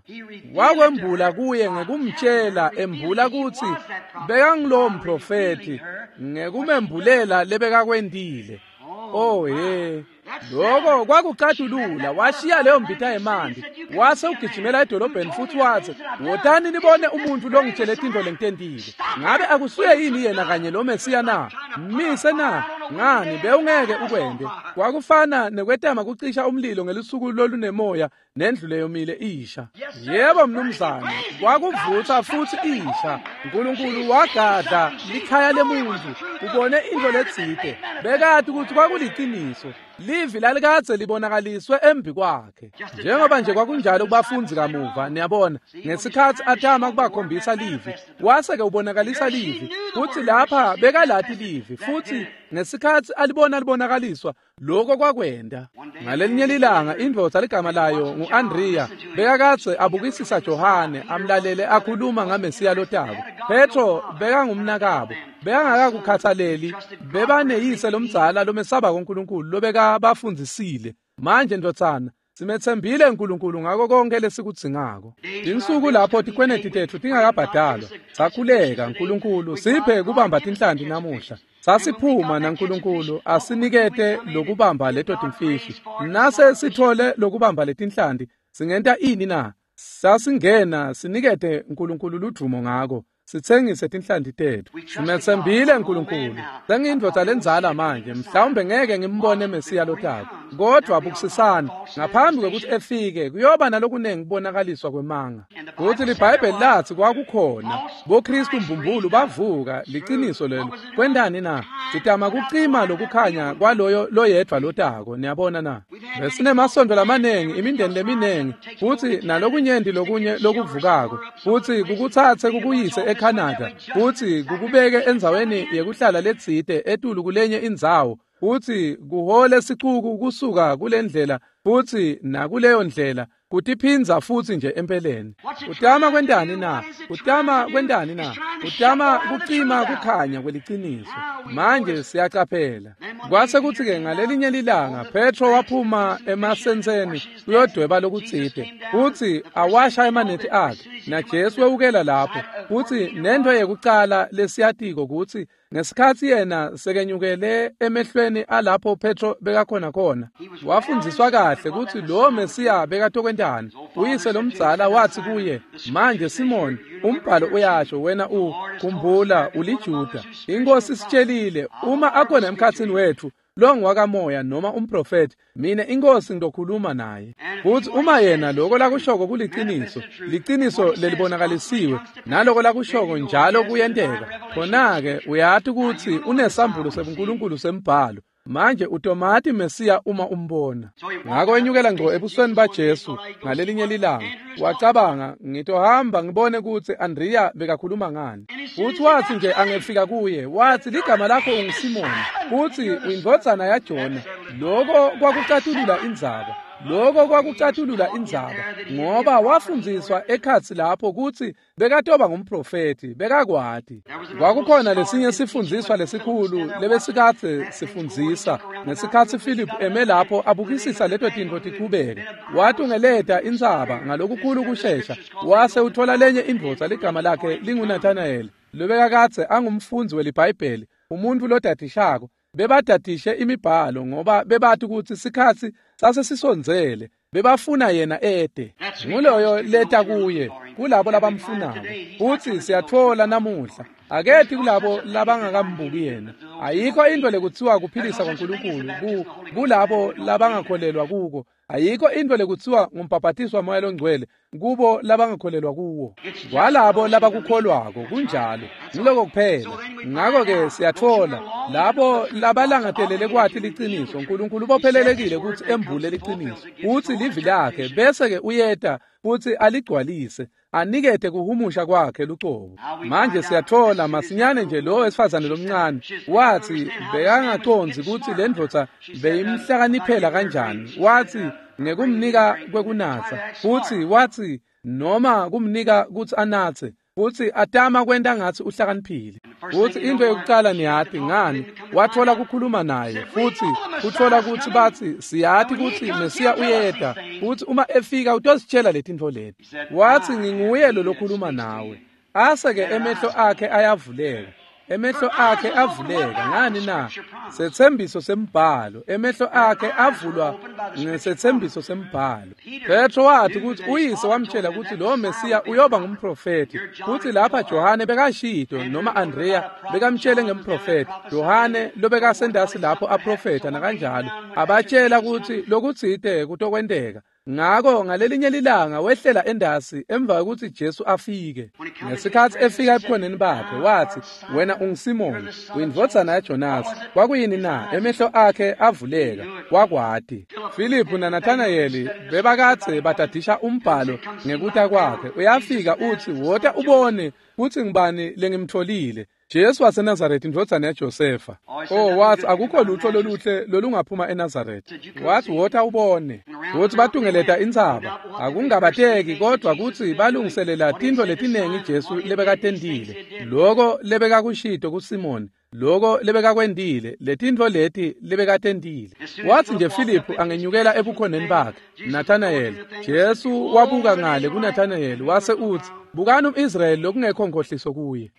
Wakwembula kuye ngekumtshela, embula kutsi bekangulowo mprofethi, ngekumembulela lebekakwentile. Oh he, lokho kwakucatulula. Washiya leyo mbita yemanti, wase ugijimela edolobheni futhi watsi, wotani nibone umuntu longitshele tintfo lengitentile. Ngabe akusuye yini yena kanye lo Mesiya na? Mise na? Ngani bewungeke ukwente. Kwakufana nekwetama kucisha umlilo ngelusuku lolunemoya nendlu leyomile isha. Yebo mnumzane, kwakuvutsa futhi isha. uNkulunkulu wagadla likhaya lemuntu, ubone intfo letsite. Bekati kutsi kwakuliciniso. Livi lalikadze libonakaliswe embi kwakhe. Njengoba nje kwakunjalo kubafundzi kamuva, niyabona, ngesikhatsi atama kubakhombisa livi, wase-ke ubonakalisa livi, futsi lapha bekalati livi, futsi ngesikhatsi alibona libonakaliswa, lokho kwakwenta. Ngalelinye lilanga indvodza ligama layo ngu-Andriya bekakadze abukisisa Johane amlalele akhuluma ngaMesiya lotako. Petro bekangumnakabo, bekangakakukhatsaleli, bebaneyise lomdzala lomesabako uNkulunkulu lobekabafundzisile. Manje ndvodzana, simetsembile uNkulunkulu ngako konke lesikudzingako. Tinsuku lapho tikweneti tetfu tingakabhadalwa, sakhuleka, uNkulunkulu siphe kubamba tinhlanti namuhla. Sasiphuma naNkulunkulu asinikete lokubamba leto timfishi. Nase sithole lokubamba letinhlanti, singenta ini na? Sasingena sinikete uNkulunkulu ludvumo ngako. Sitsengise tinhlanti tetfu. Simetsembile uNkulunkulu. Sengiyindvodza lendzala manje, mhlawumbe ngeke ngimbone Mesiya lotako. Kodwa bukusisana, ngaphambi kwekuthi efike kuyoba nalokunengi kubonakaliswa kwemanga. Kuthi liBhayibheli lathi kwakukhona boKristu mbumbulu bavuka, liciniso lelo. Kwendani na? Sitama kucima lokukhanya kwaloyo loyedvwa lotako, niyabona na? Besinemasonto lamanengi, imindeni leminengi, futhi nalokunyenti lokunye lokuvukako, futhi kukutsatse kukuyise eCanada, futhi kukubeke endzaweni yekuhlala letsite etulu kulenye indzawo, futhi kuhole sicuku kusuka kulendlela futhi nakuleyo ndlela, kutiphindza futhi nje empeleni. Utama kwentani na? Utama kwentani na? Utama kucima kukhanya kweliciniso. Manje siyacaphela. Kwase kuthi-ke ngalelinye lilanga Petro waphuma emasentseni kuyodweba lokutsite, futhi awasha emanethi akhe, naJesu wewukela lapho. Futhi nento yekucala lesiyatiko kutsi ngesikhatsi yena sekenyukele emehlweni alapho Petro bekakhona khona, wafundziswa kahle kutsi lo Mesiya bekatokwentani. Uyise lomdzala wathi kuye, manje Simoni, umbhalo uyasho wena u khumbula uliJuda. Inkosi isitshelile uma akhona emkhatsini wethu lo ngwakamoya noma umprofeti, mina inkosi ngizokhuluma naye. Futhi uma yena lokho lakushoko kuliciniso, liciniso lelibonakalisiwe, naloko lakushoko njalo kuyenteka, khona-ke uyati kutsi unesambulo sebuNkulunkulu sembhalo. Manje utomati Mesiya uma umbona. Ngako enyukela ngco ebusweni baJesu ngalelinye lilanga, wacabanga, ngitohamba ngibone kutsi Andrea bekakhuluma ngani. Futhi wathi nje angefika kuye, wathi ligama lakho unguSimoni, futhi uyindvodzana yaJona. Lokho kwakucatulula indzaba. Lokho kwakucatulula indzaba, ngoba wafundziswa ekhatsi lapho kutsi bekatoba ngumprofeti, bekakwati. Kwakukhona lesinye sifundziswa lesikhulu lebesikadze sifundzisa ngesikhatsi Philip eme lapho abukisisa leto tintfo tichubeka. Watungeleta intsaba ngalokukhulu kushesha, wase uthola lenye indvodza ligama lakhe linguNathanael, lobekakadze angumfundzi weliBhayibheli, umuntfu lodadishako. Bebadadishe imibhalo ngoba bebati kutsi sikhatsi sasesisondzele, bebafuna yena ede. Nguloyo leta kuye, kulabo labamfunako. Futsi siyatfola namuhla, aketi kulabo labangakambuki yena. Ayikho into lekutsiwa kuphilisa kwaNkulunkulu ku kulabo labangakholelwa kuko. Ayikho into lekutsiwa ngumbhabhatiswa waMoya loNgcwele kubo labangakholelwa kuwo. Kwalabo labakukholwako kunjalo, ngiloko kuphela. Ngako-ke siyatfola labo labalangatelele kwati liciniso, uNkulunkulu ubophelelekile kutsi embule liciniso, kutsi livi lakhe, bese-ke uyeta futsi aligcwalise, anikete kuhumusha kwakhe lucobo. Manje siyatfola masinyane nje lo wesifazane lomncane wathi bekangacondzi kutsi le ndvodza beyimhlakaniphela kanjani. Wathi ngekumnika kwekunatsa, futsi wathi noma kumnika kutsi anatse, futsi atama kwenta ngatsi uhlakaniphile. Futsi into yokucala niyati ngani, watfola kukhuluma naye, futsi utfola kutsi batsi siyati kutsi Mesiya uyeta, futsi uma efika utositshela letintfo leti. Wathi nginguye lo lokhuluma nawe. Ase-ke emehlo akhe ayavuleka. Emehlo akhe avuleka ngani na? Setsembiso sembhalo. Emehlo akhe avulwa ngesetsembiso sembhalo. Petro wathi kutsi uyise wamtshela kutsi lo Mesiya uyoba ngumprofeti. Futsi lapha Johane bekashito noma Andrea bekamtshele ngemprofeti. Johane lobekasendasi lapho aprofeta nakanjalo, abatshela kutsi lokutsite kutokwenteka. Ngako ngalelinye lilanga wehlela endasi emva kwekutsi Jesu afike. Ngesikhatsi efika ebukhoneni bakhe wathi, wena unguSimoni, uyindvodzana yaJonasi. Kwakuyini na? Emehlo akhe avuleka, wakwati. Filiphu naNathanayeli bebakadze badadisha umbhalo ngekuta kwakhe. Uyafika utsi, wota ubone kutsi ngibani lengimtfolile. Jesu waseNazaretha, indvodzana yaJosefa. Oh, wathi akukho lutho loluhle lolungaphuma eNazaretha. Wathi wota ubone. Futhi batungeleta intsaba. Akungabateki kodwa kutsi balungiselela tintfo letinengi Jesu lebekatentile. Loko lebekakushito kuSimoni, loko lebekakwentile, letintfo leti lebekatentile. Wathi nje Filiphu angenyukela ebukhoneni bakhe, Nathanael. Jesu wabuka ngale kuNathanael wase utsi, bukani umIsrayeli lokungekho nkhohliso kuye.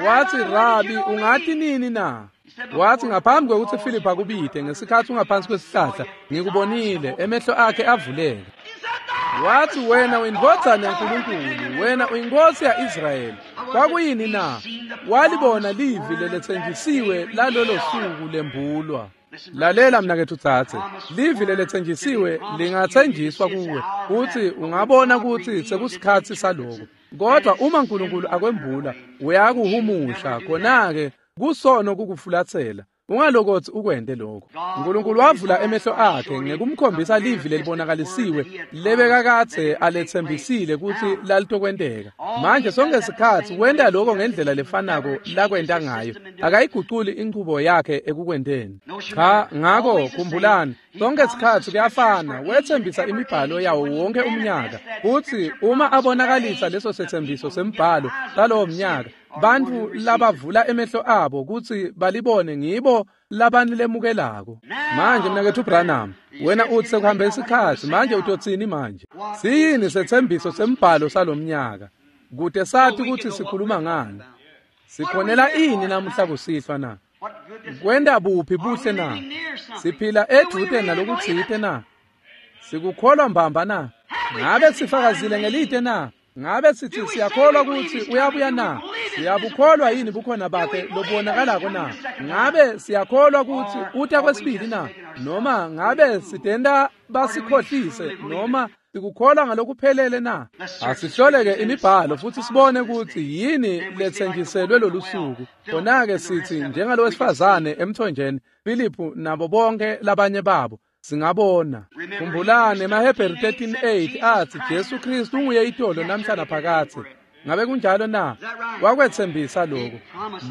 Wathi, Rabi, ungati nini na? Wathi ngaphambi kwekutsi Filiphu akubite ngesikhatsi ungaphansi kwesihlahla, ngikubonile. Emehlo akhe avuleka. Wathi wena uyindvodzana yaNkulunkulu, wena uyinkosi ya-Israyeli. Kwakuyini na? Walibona livi leletsenjisiwe lalolo suku lembulwa. Lalela mnaketfu dzadze, livi leletsenjisiwe lingatsenjiswa kuwe kutsi ungabona kutsi sekusikhatsi saloko. Kodwa uma uNkulunkulu akwembula, uyakuhumusha khona-ke kusono kukufulatsela. Ungalokotsi ukwente lokho. uNkulunkulu wavula emehlo akhe ngekumkhombisa livi lelibonakalisiwe lebekakadze aletsembisile kutsi lalitokwenteka. Manje sonke sikhatsi wenta lokho ngendlela lefanako lakwenta ngayo. Akayiguculi inchubo yakhe ekukwenteni. Cha, ngako khumbulani, sonke sikhatsi kuyafana. Wetsembisa imibhalo yawo wonke umnyaka kutsi uma abonakalisa leso setsembiso sembhalo salowo mnyaka, bantfu labavula emehlo abo kutsi balibone ngibo labanilemukelako. Manje mnaketfu Branham, wena utsi sekuhambe isikhatsi, manje utotsini manje? Siyini setsembiso sembhalo salomnyaka? Kute sathi kutsi sikhuluma ngani? Sikhonela ini namuhla kusihlwa na? Kwenta buphi buhle na? Siphila edvute nalokutsite na? Sikukholwa mbamba na? Ngabe sifakazile ngelite na? Ngabe sithi siyakholwa kutsi uyabuya na? Siyabukholwa yini bukhona bakhe lobubonakalako na? Ngabe siyakholwa kutsi uta kwesibili na? Noma ngabe sitenta basikhohlise noma sikukholwa ngalokuphelele na? Asihloleke imibhalo futhi sibone kutsi yini letsenjiselwe lolu suku. Khona-ke sithi njengalowesifazane emthonjeni, Filiphu nabo bonke labanye babo, singabona. Khumbulani emaHebheru thirteen eight athi Jesu Kristu unguye itolo namhla naphakadze. Ngabe kunjalo na? Wakwetsembisa lokho.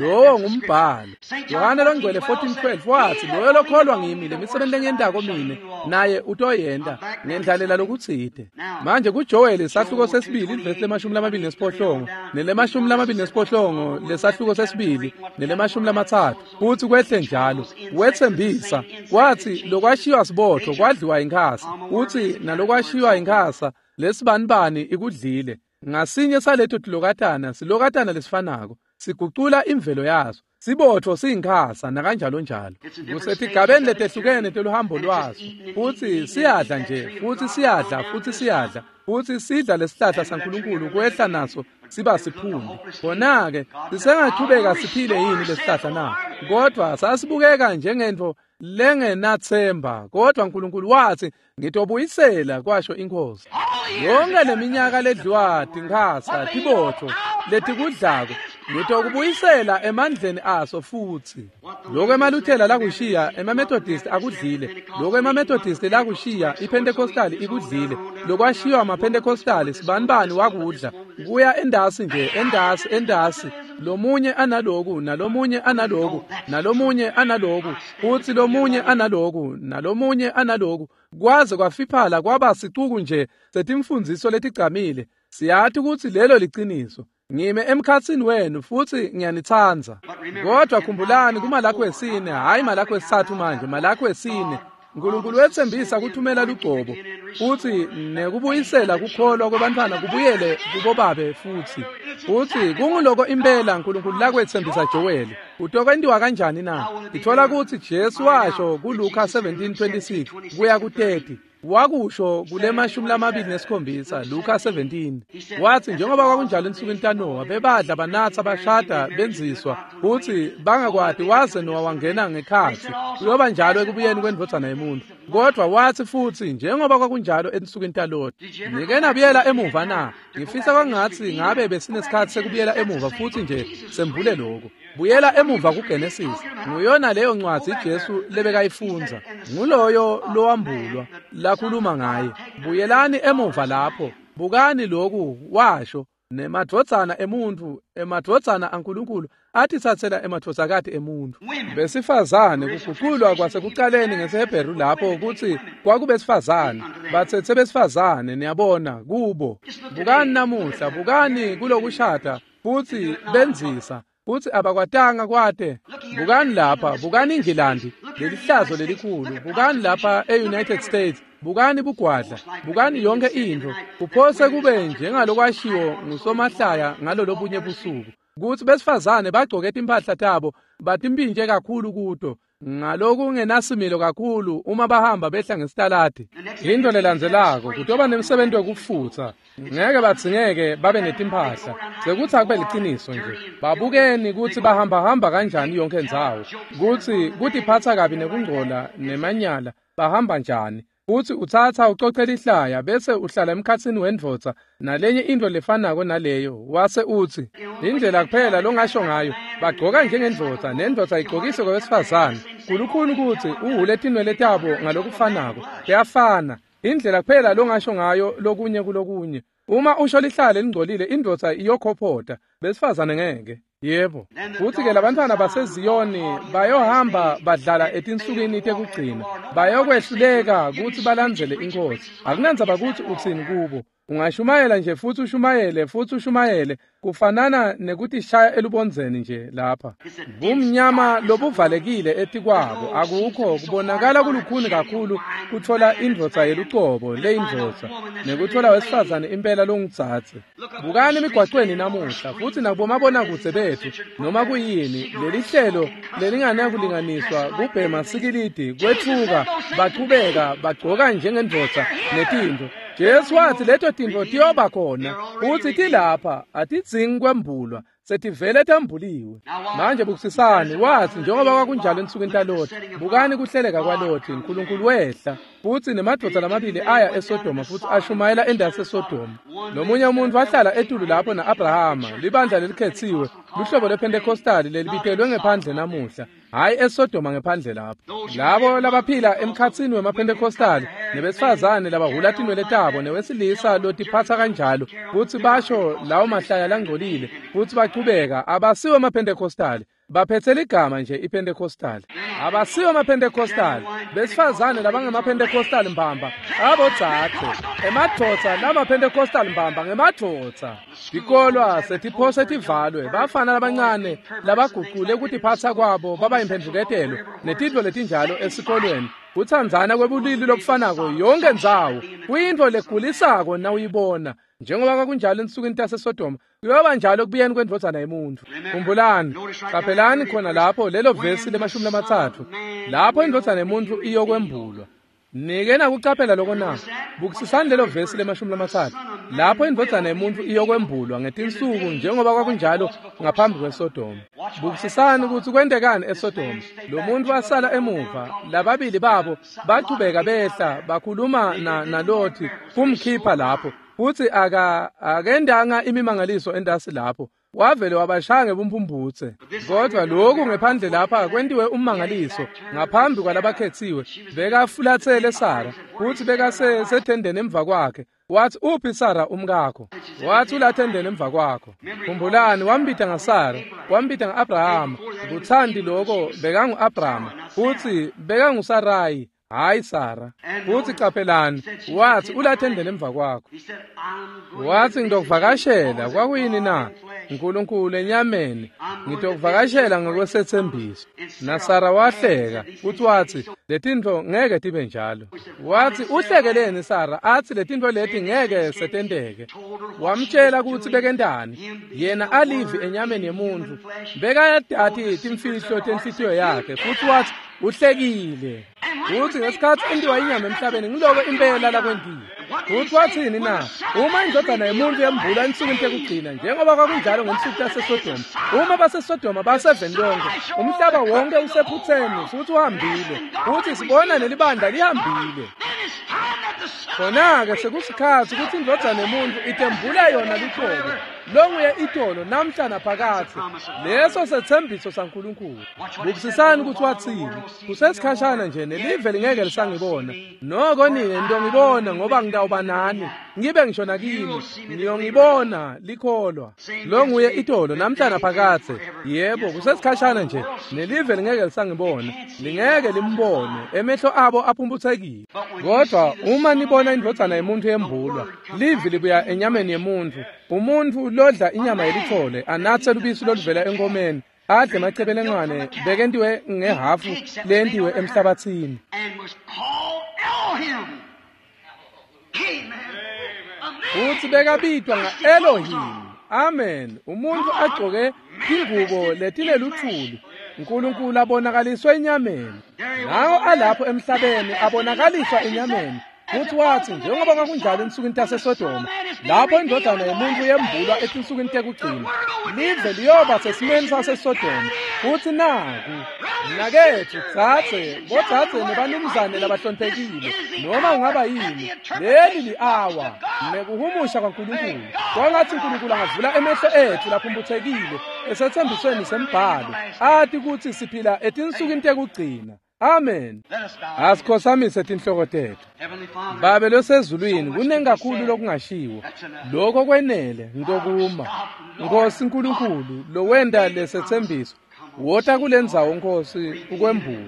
Lowo ngumbhalo. Yohane longcwele fourteen twelve wathi loyo lokholwa ngimi lemisebenzi lengiyentako mine naye utoyenta ngendlalela lokutsite. Manje kuJoel isahluko sesibili ivesi lemashumi lamabili nesiphohlongo nelemashumi lamabili nesiphohlongo lesahluko sesibili nelemashumi lamatsatfu futhi kwehle njalo. Wetsembisa wathi lokwashiywa sibotho kwadliwa inkhasa, uthi nalokwashiywa inkhasa lesibanibani ikudlile. Ngasinye saleto tilokatana silokatana lesifanako sigucula imvelo yaso. Sibotho siyinkhasa nakanjalo njalo. Kusetigabeni letehlukene teluhambo lwaso futhi siyadla nje futhi siyadla futhi siyadla futhi sidla lesihlahla saNkulunkulu kwehla naso siba siphumbi. Khona-ke sisengachubeka siphile yini lesihlahla na? Kodwa sasibukeka njengento lengenathemba, kodwa uNkulunkulu wathi ngitobuyisela, kwasho inkosi. Yonke leminyaka ledliwa tinkhasa tibotho letikudlako ngitokubuyisela emandleni aso futhi. Lokho emaLuthela lakushiya emaMethodist akudlile, lokho emaMethodist lakushiya iPentecostal ikudlile, lokwashiywa amaPentecostal sibanibani wakudla kuya endasi nje endasi endasi, lomunye analoku nalomunye analoku nalomunye analoku futhi lomunye analoku nalomunye analoku, kwaze kwafiphala kwaba sicuku nje setimfundziso letigcamile. Siyathi ukuthi lelo liciniso. Ngime emkhatsini wenu futhi ngiyanitsandza. Kodwa khumbulani kuMalakhi wesine, hayi Malakhi wesithathu manje, Malakhi wesine, uNkulunkulu wetsembisa kuthumela lugcobo futhi nekubuyisela kukholwa kwebantfwana kubuyele kubobabe futhi. Futhi kunguloko impela uNkulunkulu lakwetsembisa Joel. Utokwentiwa kanjani na? Ithola kutsi Jesu washo kuLuka seventeen twenty-six kuya ku thirty. Wakusho kule mashumi lamabili nesikhombisa Luka seventeen. Wathi njengoba kwakunjalo ensukwini taNowa, bebadla banatsa bashada benziswa futhi bangakwati waze Nowa wangena ngekhatsi. Kuyoba njalo ekubuyeni kwendvodzana yemuntu. Kodwa wathi futhi njengoba kwakunjalo ensukwini taLoti. Nike nabuyela emuva na? Ngifisa kwangathi ngabe besinesikhathi sekubuyela emuva futhi nje sembule lokho. Buyela emuva kuGenesis. Nguyona leyo ncwadi Jesu lebekayifundza. Nguloyo lowambulwa lakhuluma ngaye. Buyelani emuva lapho. Bukani lokhu washo nemadvodzana emuntu, emadvodzana aNkulunkulu atitsatsela emadvodzakati emuntu. Besifazane kuguqulwa kwasekuqaleni ngesiHebheru lapho ukuthi kwakubesifazane, batsetse besifazane niyabona kubo. Bukani namuhla, bukani kulokushada futhi benzisa futhi abakwatanga kwate. Bukani lapha, bukani iNgilandi, lelihlazo lelikhulu. Bukani lapha e-United States, bukani bugwadla, bukani yonke into. Kuphose kube njengalokwashiwo ngusomahlaya ngalolobunye busuku kutsi besifazane bagcoke timphahla tabo batimpintje kakhulu kuto. Ngalokungenasimilo kakhulu uma bahamba behla ngesitaladi. Into lelandzelako kutoba nemsebenzi wekufutsa. Ngeke badzingeke babe netimpahla. Sekutsi akube liciniso nje. Babukeni kutsi bahamba hamba kanjani yonke indzawo. Kutsi kutiphatsa kabi nekungcola nemanyala bahamba njani. Futsi utsatsa ucocela ihlaya bese uhlala emkhatsini wendvodza nalenye into lefanako naleyo wase utsi indlela kuphela longasho ngayo bagcoka njengendvodza nendvodza igcokise kwewesifazane kulukhuni kutsi uhule tinwele tabo ngalokufanako kuyafana indlela kuphela longasho ngayo lokunye kulokunye uma usho lihlala lelingcolile indvodza iyokhophota besifazane ngeke. Yebo. Futsi ke labantwana baseZiyoni bayohamba badlala etinsukwini tekugcina. Bayokwehluleka kutsi balandzele inkosi. Akunandzaba kutsi utsini kubo. Ungashumayela nje futsi ushumayele futsi ushumayele kufanana nekutishaya elubondzeni nje lapha. Bumnyama lobuvalekile etikwabo akukho kubonakala kulukhuni kakhulu kutfola indvodza yelucobo leyindvodza nekutfola wesifazane impela longudzadze. Bukani emigwacweni namuhla futsi nakubomabonakudze betfu noma kuyini lelihlelo lelinganakulinganiswa kubhema sikilidi kwetfuka bachubeka bagcoka njengendvodza netintfo. Jesu wathi leto tintfo tiyoba khona futsi tilapha atidzingi kwembulwa setivele tambuliwe. Manje bukisisani wathi njengoba kwakunjalo ensukwini taLothi bukani kuhleleka kwaLothi uNkulunkulu wehla futsi nemadvodza lamabili aya eSodoma futsi ashumayela endasi eSodoma. Lomunye umuntu wahlala etulu lapho na-Abrahama libandla lelikhetsiwe luhlobo lwePentecostali lelibitelwe ngephandle namuhla hayi eSodoma ngephandle lapho. Labo labaphila emkhatsini wemaPentecostali nebesifazane labahula tinwele tabo newesilisa lotiphatsa kanjalo futsi basho lawo mahlaya langcolile futsi bachubeka abasiwe amaPentecostali baphetse ligama nje iPentecostali abasiwe amaPentecostali besifazane labangemaPentecostali mbamba abodzadze emadvodza lamaPentecostali mbamba ngemadvodza. Tikolwa setiphose tivalwe bafana labancane labagucule kutiphatsa kwabo baba imphendvuketelo netintfo letinjalo esikolweni kutsandzana kwebulili lobufanako yonke ndzawo kuyintfo legulisako nawuyibona. Njengoba kwakunjalo ensukwini taseSodoma kuyoba njalo ekubuyeni kwendvodzana yemuntfu. Khumbulani qaphelani khona lapho lelo vesi lemashumi lamatsatfu lapho indvodzana yemuntfu iyokwembulwa. Nike nakucaphela loko na? Bukisisani lelo vesi lemashumi lamatsatfu lapho indvodzana yemuntfu iyokwembulwa ngetinsuku njengoba kwakunjalo ngaphambi kweSodoma. Bukisisani kutsi kwentekani eSodoma. Lo muntu wasala emuva lababili babo bachubeka behla bakhuluma na naLothi kumkhipha lapho futsi aka akendanga imimangaliso endasi lapho wavele wabashaya ngebumphumputse. Kodwa lokhu ngephandle lapha kwentiwe ummangaliso ngaphambi kwalabakhetsiwe. Bekafulatsele Sara futsi bekasethendeni emva kwakhe. Wathi uphi Sara umkakho? Wathi ulathendeni emva kwakho. Khumbulani wambita ngaSara wambita nga-Abrahama. Kuthandi loko bekangu-Abrahama futsi bekanguSarayi hayi Sara. Futsi qaphelani wathi ulathendeni emva kwakho. Wathi ngitokuvakashela. Kwakuyini na? uNkulunkulu enyameni ngitokuvakashela ngokwesethembiso. NaSara wahleka futhi wathi letintfo ngeke tibe njalo. Wathi uhlekeleni Sara athi letintfo leti ngeke setenteke. Wamtshela kutsi bekentani yena alivi enyameni yemuntfu bekayati timfihlo tenhlitiyo yakhe futsi wathi uhlekile. Futsi ngesikhatsi entiwa inyama emhlabeni ngiloko impela lakwentiwe. Futsi wathini na? Uma indvodzana yemuntfu yembulwa ensukwini tekugcina njengoba kwakunjalo ngensuku taseSodoma uma baseSodoma baseveni lonke umhlaba wonke usephutseni futsi uhambile futsi sibona nelibandla lihambile. Khona-ke sekusikhatsi kutsi indvodzana yemuntfu itembula yona lucobo longuye itolo namhla naphakadze. Leso sethembiso saNkulunkulu. Bukisisani kutsi wathini. Kusesikhashana nje nelive lingeke lisangibona noko nine nitongibona ngoba ngitawuba nani ngibe ngisho nakini niyongibona likholwa. Longuye itolo namhla naphakadze. Yebo kusesikhashana nje nelive lingeke lisangibona lingeke limbone emehlo abo aphumphutsekile. Kodwa uma nibona indvodzana yemuntfu yembulwa livi libuya enyameni yemuntfu umuntfu lodla inyama yelithole anatse lubisi loluvela enkomeni adle emacebelengwane bekentiwe ngehafu lentiwe emhlabatsini. Futsi bekabitwa nga-Elohim. Amen. Umuntfu agcoke tingubo letineluthuli Nkulunkulu abonakaliswe enyameni. Nawo alapho emhlabeni abonakaliswa enyameni. Futhi wathi njengoba kwakunjalo ensukwini taseSodoma, lapho indodana yomuntu yembulwa etinsukwini tekugcina, live liyoba sesimeni saseSodoma. Futhi naku mnaketfu, dzadze, bodzadze nebanumzane labahloniphekile, noma ungaba yini, leli li-awa nekuhumusha kwaNkulunkulu. Kwangathi uNkulunkulu angavula emehlo ethu laphumputhekile esethembisweni sembhalo, ati kutsi siphila etinsukwini tekugcina. Amen. Asikhotsamise tinhloko tetfu. Babe losezulwini, kuningi kakhulu lokungashiwo. Lokho kwenele ngitokuma. Nkosi Nkulunkulu lowenta lesetsembiso, wota kulendzawo Nkosi ukwembula.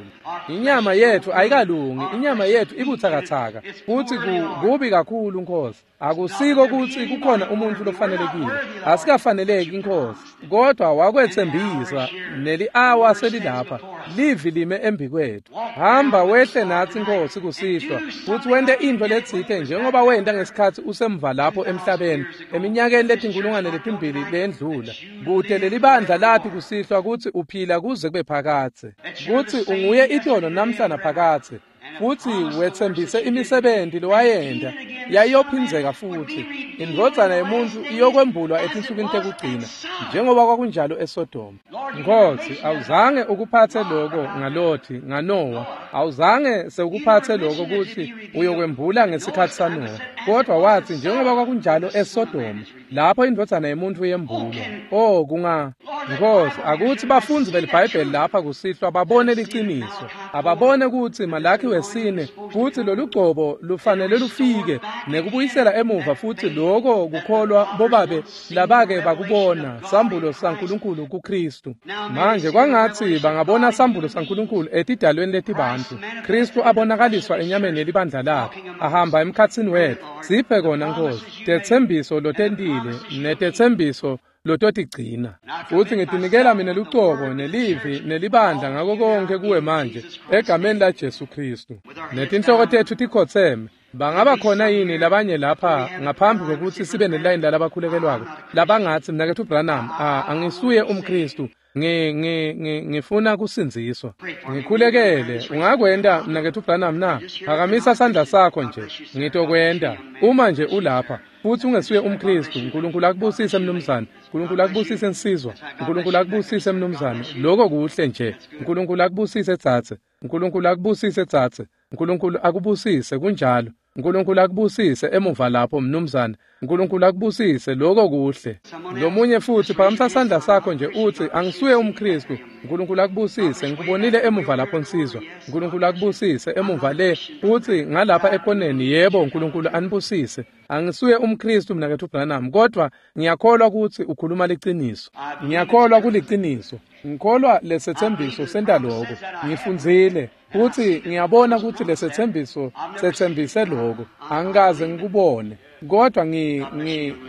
Inyama yethu ayikalungi, inyama yethu ibutsakatsaka, futsi kubi kakhulu Nkosi. Akusiko kutsi kukhona umuntu lofanelekile, asikafaneleki Nkosi, kodwa wakwetsembisa neli-awa selilapha, livi lime embikwethu. Hamba wehle natsi Nkosi kusihlwa, futsi wente intfo letsite njengoba wenta ngesikhatsi usemva lapho emhlabeni eminyakeni letinkulungwane letimbili leyendlula, kute lelibandla lati kusihlwa kutsi uphila kuze kube phakadze, kutsi unguye itolo namhla naphakadze. Futsi wetsembise imisebenti lowayenta yayiyophindzeka futhi. Indvodzana yemuntu iyokwembulwa etinsukwini tekugcina njengoba kwakunjalo eSodoma. Nkosi, awuzange ukuphatse lokho ngaLothi, ngaNowa, awuzange sewukuphatse lokho kutsi uyokwembula ngesikhatsi saNowa, kodwa wathi njengoba kwakunjalo eSodoma lapho indvodzana yemuntu yembulwa. Oh kunga Nkosi, akuthi bafundzi beliBhayibheli lapha kusihlwa babone liciniso, ababone kutsi Malakhi wesine kutsi lolugcobo lufanele lufike nekubuyisela emuva futhi lokho kukholwa bobabe labake bakubona sambulo saNkulunkulu kuKristu. Manje kwangathi bangabona sambulo saNkulunkulu etidalweni letibantfu, Kristu abonakaliswa enyameni yelibandla lakhe, ahamba emkhatsini wetfu. Siphe kona Nkosi tetsembiso lotentile netetsembiso lototigcina. Futhi ngitinikela mina lucobo nelivi nelibandla ngako konke kuwe manje egameni la Jesu Kristu. Netinhloko tetfu tikhotseme. Bangaba khona yini labanye lapha ngaphambi kokuthi sibe nelayini lalabakhulekelwako labangathi mnaketfu Branham, angisuye umKristu, ngi ngi ngifuna kusindziswa, ngikhulekele? Ungakwenta mnaketfu Branham na? Phakamisa sandla sakho nje, ngitokwenta. Uma nje ulapha futhi ungesuye umKristu, uNkulunkulu akubusise mnumzane, uNkulunkulu akubusise nsizwa, uNkulunkulu akubusise mnumzane. Lokho kuhle nje. uNkulunkulu akubusise dzadze, uNkulunkulu akubusise dzadze, uNkulunkulu akubusise. Kunjalo. uNkulunkulu akubusise emuva lapho mnumzane, uNkulunkulu akubusise. Lokho kuhle. Lomunye futhi phakamisa sandla sakho nje uthi angisuye umKristu. uNkulunkulu akubusise, ngikubonile emuva lapho nsizwa. uNkulunkulu akubusise emuva le, uthi ngalapha ekoneni. Yebo, uNkulunkulu anibusise. Angisuye umKristu mnaketfu Branham, kodwa ngiyakholwa ukuthi ukhuluma liciniso. Ngiyakholwa kuliciniso. Ngikholwa lesetsembiso senta lokho. Ngifundzile futhi ngiyabona ukuthi lesetsembiso setsembise lokho. Angikaze ngikubone, kodwa ngi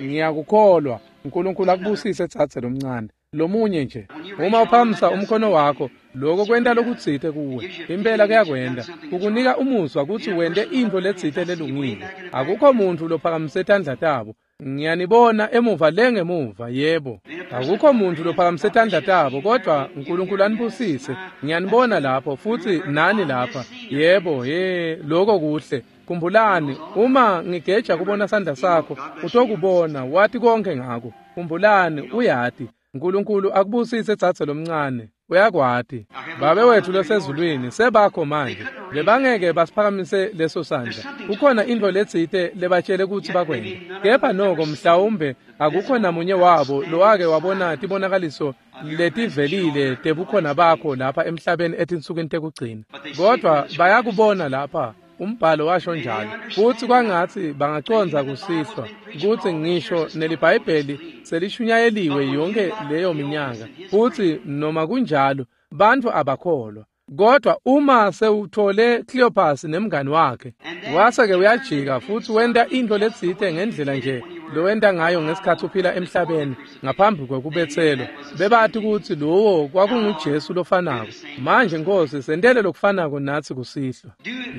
ngiyakukholwa. uNkulunkulu akubusise dzadze lomncane. Lomunye nje, uma uphakamisa umkhono wakho, lokho kwenta lokutsite kuwe. Impela kuyakwenta, kukunika umuzwa kutsi wente intfo letsite lelungile. Akukho muntfu lophakamise tandla tabo. Ngiyanibona emuva le ngemuva, yebo. Akukho muntfu lophakamise tandla tabo, kodwa uNkulunkulu anibusise. Ngiyanibona lapho futhi nani lapha. Yebo, he, lokho kuhle. Khumbulani, uma ngigeja kubona sandla sakho, utokubona, wati konke ngako. Khumbulani, uyati. uNkulunkulu akubusise dzadze lomncane, uyakwati. Babe wethu losezulwini, sebakho manje. Bebangeke basiphakamise leso sandla. Kukhona intfo letsite lebatshele kutsi bakwente, kepha noko mhlawumbe akukho namunye wabo lowake wabona tibonakaliso letivelile tebukhona bakho lapha emhlabeni etinsukwini tekugcina, kodwa bayakubona lapha. Umbhalo washo njalo. Futhi kwangathi bangacondza kusihlwa kutsi ngisho neliBhayibheli selishunyayeliwe yonke leyo minyaka, futhi noma kunjalo bantfu abakholwa. Kodwa uma sewuthole Cleopas nemngani wakhe, wase-ke uyajika futhi wenta intfo letsite ngendlela nje lowenta ngayo ngesikhatsi uphila emhlabeni ngaphambi kwekubetselwa, bebati kutsi lowo kwakunguJesu lofanako. Manje Nkosi, sentele lokufanako natsi kusihlwa.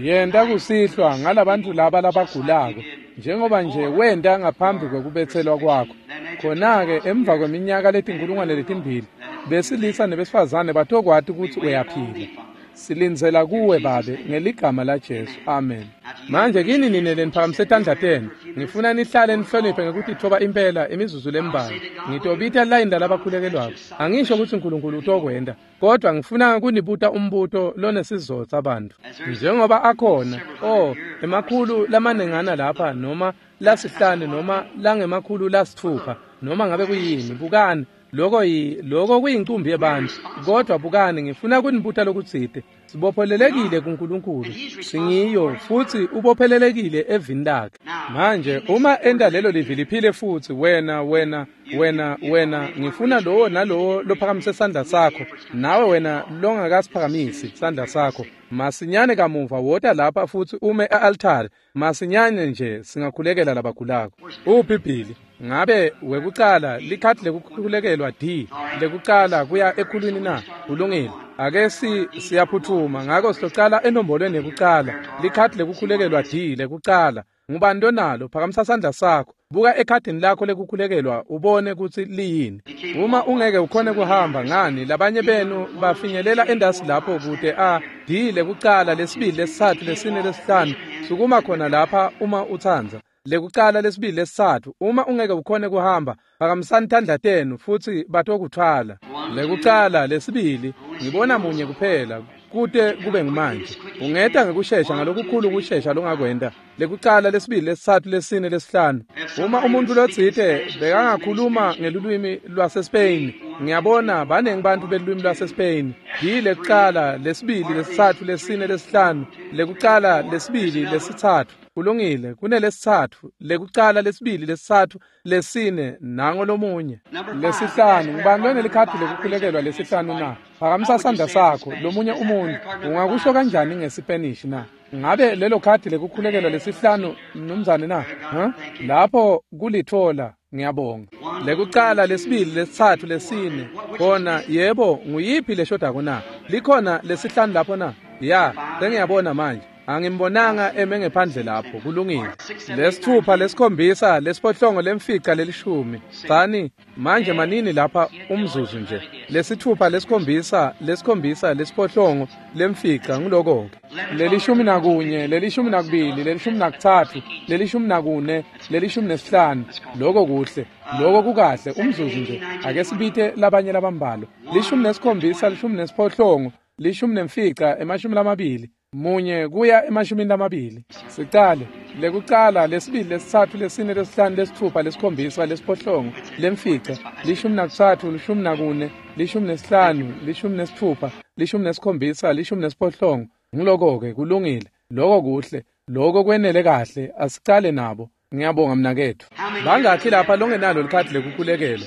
Yenta kusihlwa ngalabantfu laba labagulako njengoba nje wenta ngaphambi kwekubetselwa kwakho. Khona-ke emva kweminyaka letinkulungwane letimbili, Besilisa nebesifazane batokwati kutsi uyaphila. Silindzela kuwe Babe ngeligama laJesu. Amen. Manje kini nine leniphakamise tandla tenu, ngifuna nihlale nihloniphe ngekutitfoba impela imizuzu lembalwa. Ngitobita layini lalabakhulekelwako. Angisho kutsi uNkulunkulu utokwenta, kodwa ngifuna kunibuta umbuto lonesizotsa bantfu. Njengoba akhona, oh, emakhulu lamanengana lapha noma lasihlanu noma langemakhulu lasitfupha noma ngabe kuyini, bukani. Lokho yi lokho kuyincumbi yebantu, kodwa bukani, ngifuna kunibuta lokutsite. Sibophelelekile kuNkulunkulu, singiyo futsi ubophelelekile evini lakhe. Manje uma enta lelo livi liphile futsi, wena wena wena wena ngifuna lowo nalowo lophakamise sandla sakho, nawe wena longakasiphakamisi sandla sakho, masinyane kamuva wota lapha futsi ume e-altari. Masinyane nje singakhulekela labagulako. Uphi Billy? Ngabe wekucala likhadi lekukhulekelwa D lekucala kuya ekhulwini na? Kulungile. Ake si siyaphuthuma, ngako sitocala enombolweni yekucala. Likhadi lekukhulekelwa D lekucala. Ngubani lonalo? Phakamisa sandla sakho. Buka ekhadini lakho lekukhulekelwa ubone kutsi liyini. Uma ungeke ukhone kuhamba, ngani labanye benu bafinyelela endasi lapho kute a D lekucala, lesibili, lesitsatfu, lesine, lesihlanu. Sukuma khona lapha uma utsandza. Lekucala, lesibili, lesitsatfu. Uma ungeke ukhone kuhamba, phakamisani tandla tenu futsi batokuthwala. Lekucala, lesibili, ngibona munye kuphela kute kube ngumanje. Ungeta ngekushesha ngalokukhulu kushesha longakwenta. Lekucala, lesibili, lesitsatfu, lesine, lesihlanu. Uma umuntu lotsite bekangakhuluma ngelulwimi lwaseSpain, ngiyabona banengi bantu belulwimi lwaseSpain. D lekucala, lesibili, lesitsatfu, lesine, lesihlanu. Lekucala, lesibili, lesitsatfu. Kulungile, kunelesitsatfu, lekucala, lesibili, lesitsatfu, lesine, nango lomunye. Lesihlanu, ngubani lonelikhadi lekukhulekelwa lesihlanu na? Phakamisa sandla sakho. Lomunye umuntu, ungakusho kanjani ngeSpanish na? Ngabe lelo khadi lekukhulekelwa lesihlanu, mnumzane na? Huh? Lapho kulithola, ngiyabonga. Lekucala, lesibili, lesitsatfu, lesine. Khona, yebo, nguyiphi leshodako na? Likhona lesihlanu lapho na? Ya, sengiyabona manje. Angimbonanga eme ngephandle lapho. Kulungile. Lesithupha, lesikhombisa, lesiphohlongo, lemfica, lelishumi. Tsani manje manini lapha umzuzu nje. Lesithupha, lesikhombisa, lesikhombisa, lesiphohlongo, lemfica, ngiloko-ke. Lelishumi nakunye, lelishumi nakubili, lelishumi nakutsatfu, lelishumi nakune, lelishumi nesihlanu. Loko kuhle. Loko kukahle. Umzuzu nje. Ake sibite labanye labambalwa. Lishumi nesikhombisa, lishumi nesiphohlongo, lishumi nemfica, emashumi lamabili. Munye kuya emashumini lamabili. Sicale lekucala, lesibili, lesitsatfu, lesine, lesihlanu, lesitfupha, lesikhombisa, lesiphohlongo, lemfica, lishumi nakutsatfu, lishumi nakune, lishumi nesihlanu, lishumi nesitfupha, lishumi nesikhombisa, lishumi nesiphohlongo. Ngiloko-ke, kulungile. Loko kuhle. Loko kwenele kahle. Asicale nabo. Ngiyabonga mnaketfu. Bangakhi lapha longenalo likhadi lekukhulekelwa?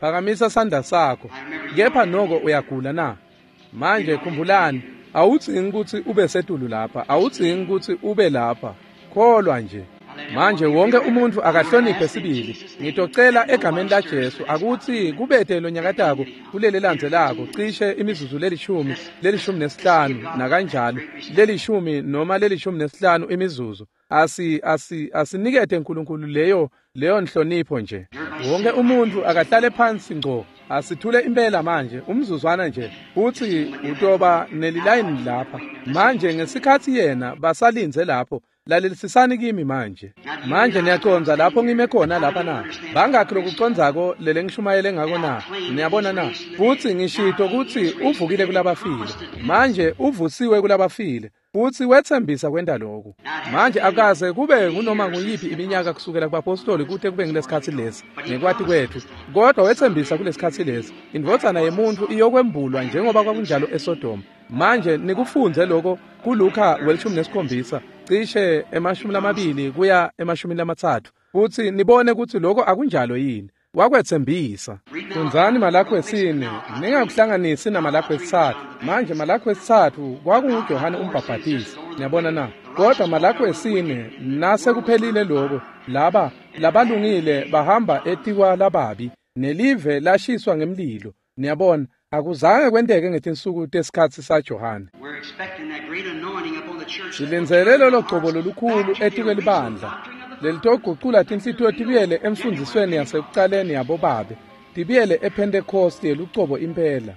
Phakamisa sandla sakho. Kepha noko uyagula na? Manje khumbulani, awudzingi kutsi ube setulu lapha, awudzingi kutsi ube lapha. Kholwa nje. Manje wonke umuntu akahloniphe sibili. Ngitocela egameni laJesu akutsi kubete lonyakatako kuleli landzelako cishe imizuzu lelishumi, lelishumi nesihlanu nakanjalo, lelishumi noma lelishumi nesihlanu imizuzu. Asi asi asinikete uNkulunkulu leyo leyo nhlonipho nje. Wonke umuntu akahlale phansi ngco. Asithule impela manje umzuzwana nje, futsi utoba nelilayini lapha. Manje ngesikhatsi yena basalindze lapho, lalelisisani kimi manje. Manje niyacondza lapho ngime khona lapha na? Bangakhi lokucondzako lele ngishumayele ngako na? Niyabona na? Futsi ngishito kutsi uvukile kulabafile. Manje uvusiwe kulabafile. Futsi wetsembisa kwenta lokhu. Manje akaze kube ngunoma nguyiphi iminyaka kusukela kubapostoli kute kube ngilesikhatsi lesi ngekwati kwetfu, kodwa wetsembisa kulesikhatsi lesi indvodzana yemuntfu iyokwembulwa njengoba kwakunjalo eSodoma. Manje nikufundze lokho kuLuka welishumi nesikhombisa cishe emashumi lamabili kuya emashumi lamatsatfu, futsi nibone kutsi lokho akunjalo yini. Wakwetsembisa. Fundzani Malakhi wesine, ningakuhlanganisi naMalakhi wesitsatfu. Manje Malakhi wesitsatfu kwakunguJohane umbhabhatisi, niyabona na? Kodwa Malakhi wesine nasekuphelile lokho, laba labalungile bahamba etikwa lababi, nelive lashiswa ngemlilo. Niyabona, akuzange kwenteke ngetinsuku tesikhatsi saJohane. Silindzele lolo gcobo lolukhulu etikwelibandla lelitogucula tinhlitiyo tibuyele emfundzisweni yasekucaleni yabobabe, Tibiyele ePentecost yelucobo impela.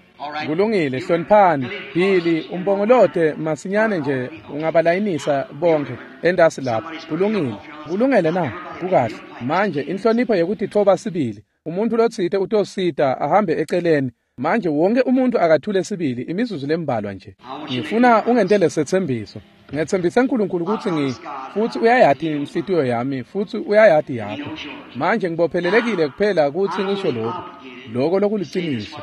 Kulungile, hloniphani. Billy, umbongolote masinyane nje ungabalayinisa bonke entasi lapha. Kulungile. Kulungele na? Kukahle. Manje inhlonipho yekutitfoba sibili. Umuntu lotsite utosita ahambe eceleni. Manje wonke umuntu akathule sibili imizuzu lembalwa nje. Ngifuna ungentele setsembiso. Ngetsembise uNkulunkulu ukuthi ngi futhi uyayati inhlitiyo yami futhi uyayati yakho. Manje ngibophelelekile kuphela ukuthi ngisho lokho. Lokho lokuliciniso.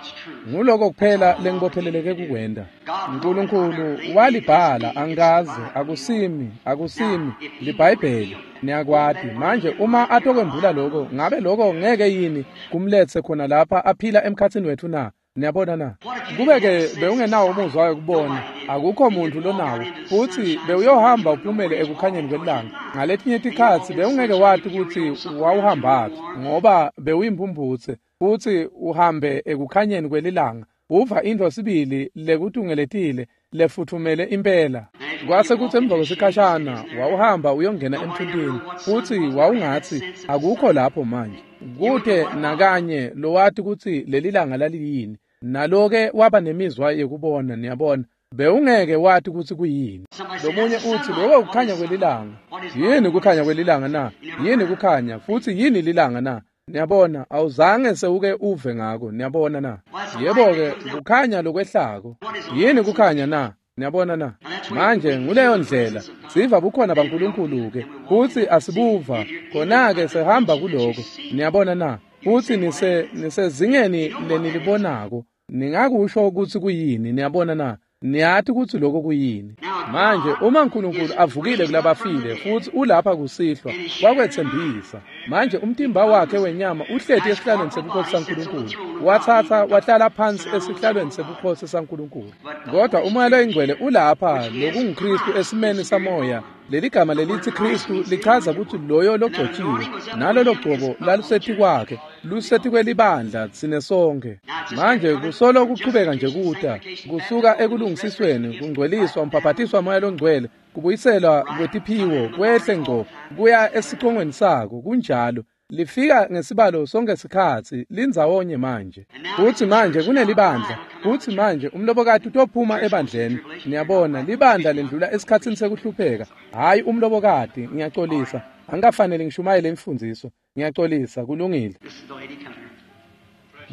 Nguloko kuphela lengibopheleleke kukwenda. uNkulunkulu walibhala angaze akusimi akusimi liBhayibheli niyakwati. Manje uma atokwembula lokho ngabe lokho ngeke yini kumletse khona lapha aphila emkhatsini wethu na? Niyabona na? Kube-ke bewungenawo umuzwa wekubona, akukho muntu lonawo, futhi bewuyohamba uphumele ekukhanyeni kwelanga. Ngaletinye tikhatsi bewungeke wati ukuthi wawuhambaphi ngoba bewuyimphumphutse futhi uhambe ekukhanyeni kwelilanga. Uva intfo sibili lekutungeletile lefuthumele impela. Kwase kutsi emva kwesikhashana wawuhamba uyongena emthuntini futhi wawungatsi akukho lapho manje. Kute nakanye lowati kutsi leli langa laliyini. Naloke waba nemizwa yekubona, niyabona. Bewungeke wati kutsi kuyini. Lomunye utsi lokho kukhanya kwelilanga. Yini kukhanya kwelilanga na? Yini kukhanya futhi yini lilanga na? Niyabona, awuzange sewuke uve ngako, niyabona na? Yebo-ke, kukhanya lokwehlako. Yini kukhanya na? Niyabona na? Manje nguleyo ndlela siva bukhona baNkulunkulu-ke futsi asibuva khona-ke sehamba kuloko. Niyabona na? Futsi nise nisezingeni lenilibonako. Ningakusho ukuthi kuyini, niyabona na? Niyati ukuthi lokho kuyini. Manje uma uNkulunkulu avukile kulabafile futhi ulapha kusihlwa wakwethembisa. Manje umtimba wakhe wenyama uhleti esihlalweni sebukhosi saNkulunkulu. Wathatha wahlala phansi esihlalweni sebukhosi saNkulunkulu. Kodwa uMoya loyiNgcwele ulapha lokunguKristu esimeni samoya. Leli gama lelithi Kristu lichaza ukuthi loyo logcotshiwe nalolo gcobo laluseti kwakhe luseti kwelibandla tsine sonke. Manje kusolo kuqhubeka nje kuta kusuka ekulungisisweni kungcweliswa umbhaphatiswa moya longcwele kubuyiselwa kwetiphiwo kwehle ngco kuya esicongweni sako. Kunjalo lifika ngesibalo sonke sikhatsi lindzawonye manje. Futhi manje kunelibandla futhi manje umlobokati utophuma ebandleni. Niyabona libandla lendlula esikhatsini sekuhlupheka. Hayi umlobokati, ngiyaxolisa angikafanele ngishumayele imfundiso. Ngiyaxolisa, kulungile.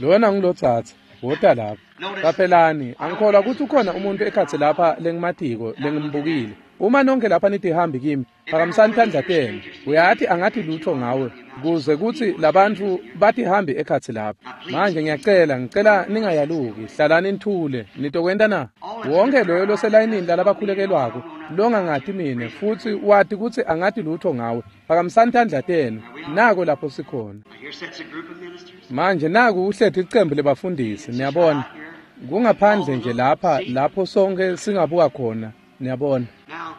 Lona ngilotsatsa wota lapha. Qaphelani, angikholwa ukuthi ukhona umuntu ekhatsi lapha lengimatiko lengimbukile. Uma nonke lapha nitihambi kimi, phakamisani tandla tenu. Uyathi angathi lutho ngawe kuze kuthi labantu batihambi ekhatsi lapha. Manje ngiyacela, ngicela ningayaluki, hlalani nithule. Nitokwenta na? Wonke loyo loselayinini lalabakhulekelwako longangati mine futhi wati ukuthi angathi lutho ngawe, phakamisani tandla tenu. Nako lapho sikhona. Manje naku uhleti icembu lebafundisi, niyabona. Kungaphandle nje lapha lapho sonke singabuka khona, niyabona.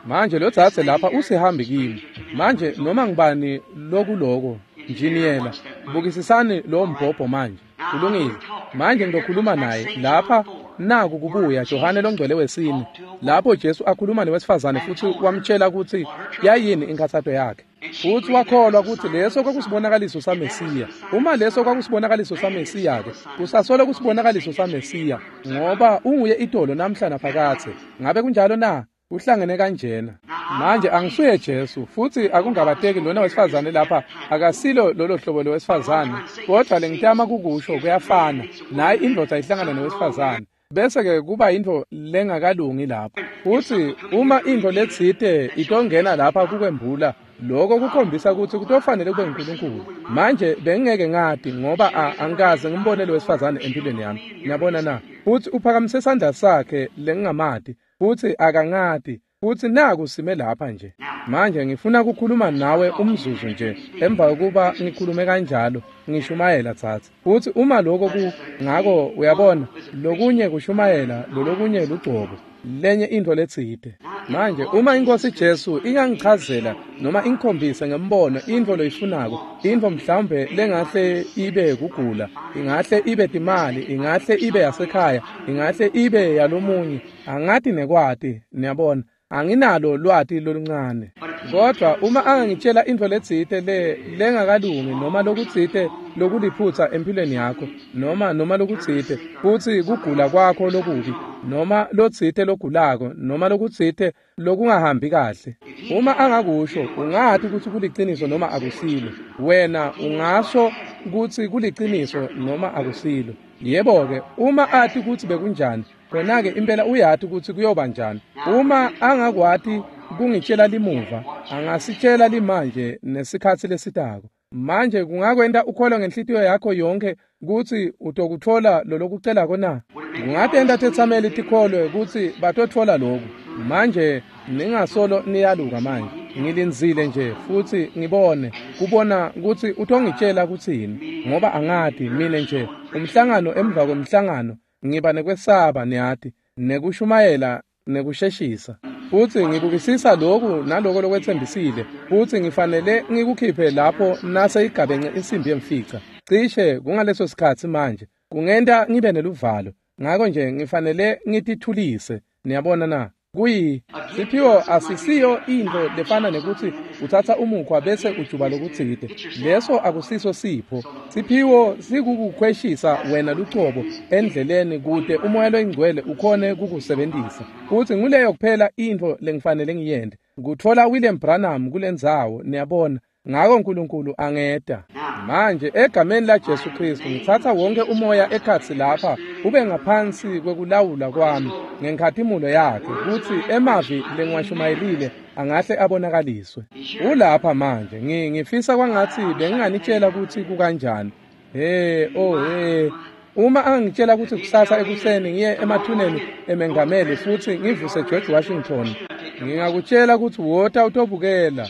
Manje lo dzadze lapha usihambi kimi. Manje noma ngibani lokuloko njiniyela, bukisisani lo mbhobho manje. Kulungile. Manje ngizokhuluma naye lapha. Naku kubuya Johane longcwele wesine lapho Jesu akhuluma newesifazane futhi wamtshela ukuthi yayini inkathato yakhe. Futhi wakholwa ukuthi leso kwakusibonakaliso saMesiya. Uma leso kwakusibonakaliso saMesiya ke kusasolo kusibonakaliso saMesiya ngoba unguye itolo namhla naphakathe. Ngabe kunjalo na? Uhlangene kanjena. Manje angisuye Jesu futhi akungabateki lona wesifazane lapha akasilo lolo hlobo lowesifazane, kodwa lengitama kukusho kuyafana. Nayi indoda ihlangana nowesifazane bese ke kuba into lengakalungi lapho. Futhi uma into letsite itongena lapha kukwembula lokho kukhombisa ukuthi kutofanele kube uNkulunkulu. Manje bengeke ngati ngoba angikaze ngimbone lo wesifazane empilweni yami. Niyabona na? Futhi uphakamise isandla sakhe lengingamati futhi akangati futhi naku sime lapha nje. Manje ngifuna ukukhuluma nawe umzuzu nje emva kokuba ngikhulume kanjalo ngishumayela tsatsa. Futhi uma lokho ku ngako uyabona lokunye kushumayela lolokunye lugcobo lenye into letsite. Manje uma inkosi Jesu ingangichazela noma ingikhombise ngembono into loyifunako, into mhlawumbe lengahle ibe kugula, ingahle ibe timali, ingahle ibe yasekhaya, ingahle ibe yalomunye, angathi nekwati, niyabona. Anginalo lwati loluncane. Kodwa uma angangitshela intfo letsite le lengakalungi noma lokutsite lokuliphutsa empilweni yakho noma noma lokutsite futsi kugula kwakho lokubi noma lotsite logulako noma lokutsite lokungahambi kahle, uma angakusho ungathi kutsi kuliciniso noma akusilo. Wena ungasho kutsi kuliciniso noma akusilo. Yebo-ke, uma athi kutsi bekunjani, khona-ke impela uyati kutsi kuyoba njani. Uma angakwati kungitshela limuva, angasitshela limanje nesikhatsi lesitako. Manje kungakwenta ukholwe ngenhlitiyo yakho yonke kutsi utokutfola lolokucelako na? Kungatenta tetsameli tikholwe kutsi batotfola loku. Manje ningasolo niyaluka manje. Ngilindzile nje futsi ngibone kubona kutsi utongitshela kutsini, ngoba angati mine nje umhlangano emva kwemhlangano ngiba nekwesaba, niyati, nekushumayela nekusheshisa. Futsi ngibukisisa loku naloko lokwetsembisile, futsi ngifanele ngikukhiphe lapho nase igabence insimbi yemfica. Cishe kungaleso sikhatsi manje kungenta ngibe neluvalo, ngako nje ngifanele ngitithulise. Niyabona na? Kuyi siphiwo asisiyo intfo lefana nekutsi utsatsa umukhwa bese ujuba lokutsite. Leso akusiso sipho. Siphiwo sikukukhweshisa wena lucobo endleleni kute umoya loyingcwele ukhone kukusebentisa. Futsi nguleyo kuphela intfo lengifanele ngiyente, kutfola William Branham kulendzawo, niyabona. Ngako uNkulunkulu angeta. Manje egameni la Jesu Kristu ngitsatsa wonke umoya ekhatsi lapha ube ngaphansi kwekulawula kwami ngenkhatimulo yakhe, kutsi emavi lengiwashumayelile angahle abonakaliswe. Ulapha manje. Ngi ngifisa kwangatsi benginganitshela kutsi kukanjani. He oh he uma angitshela kutsi kusasa ekuseni ngiye emathuneni emengameli futsi ngivuse George Washington, ngingakutshela kutsi wota utobukela.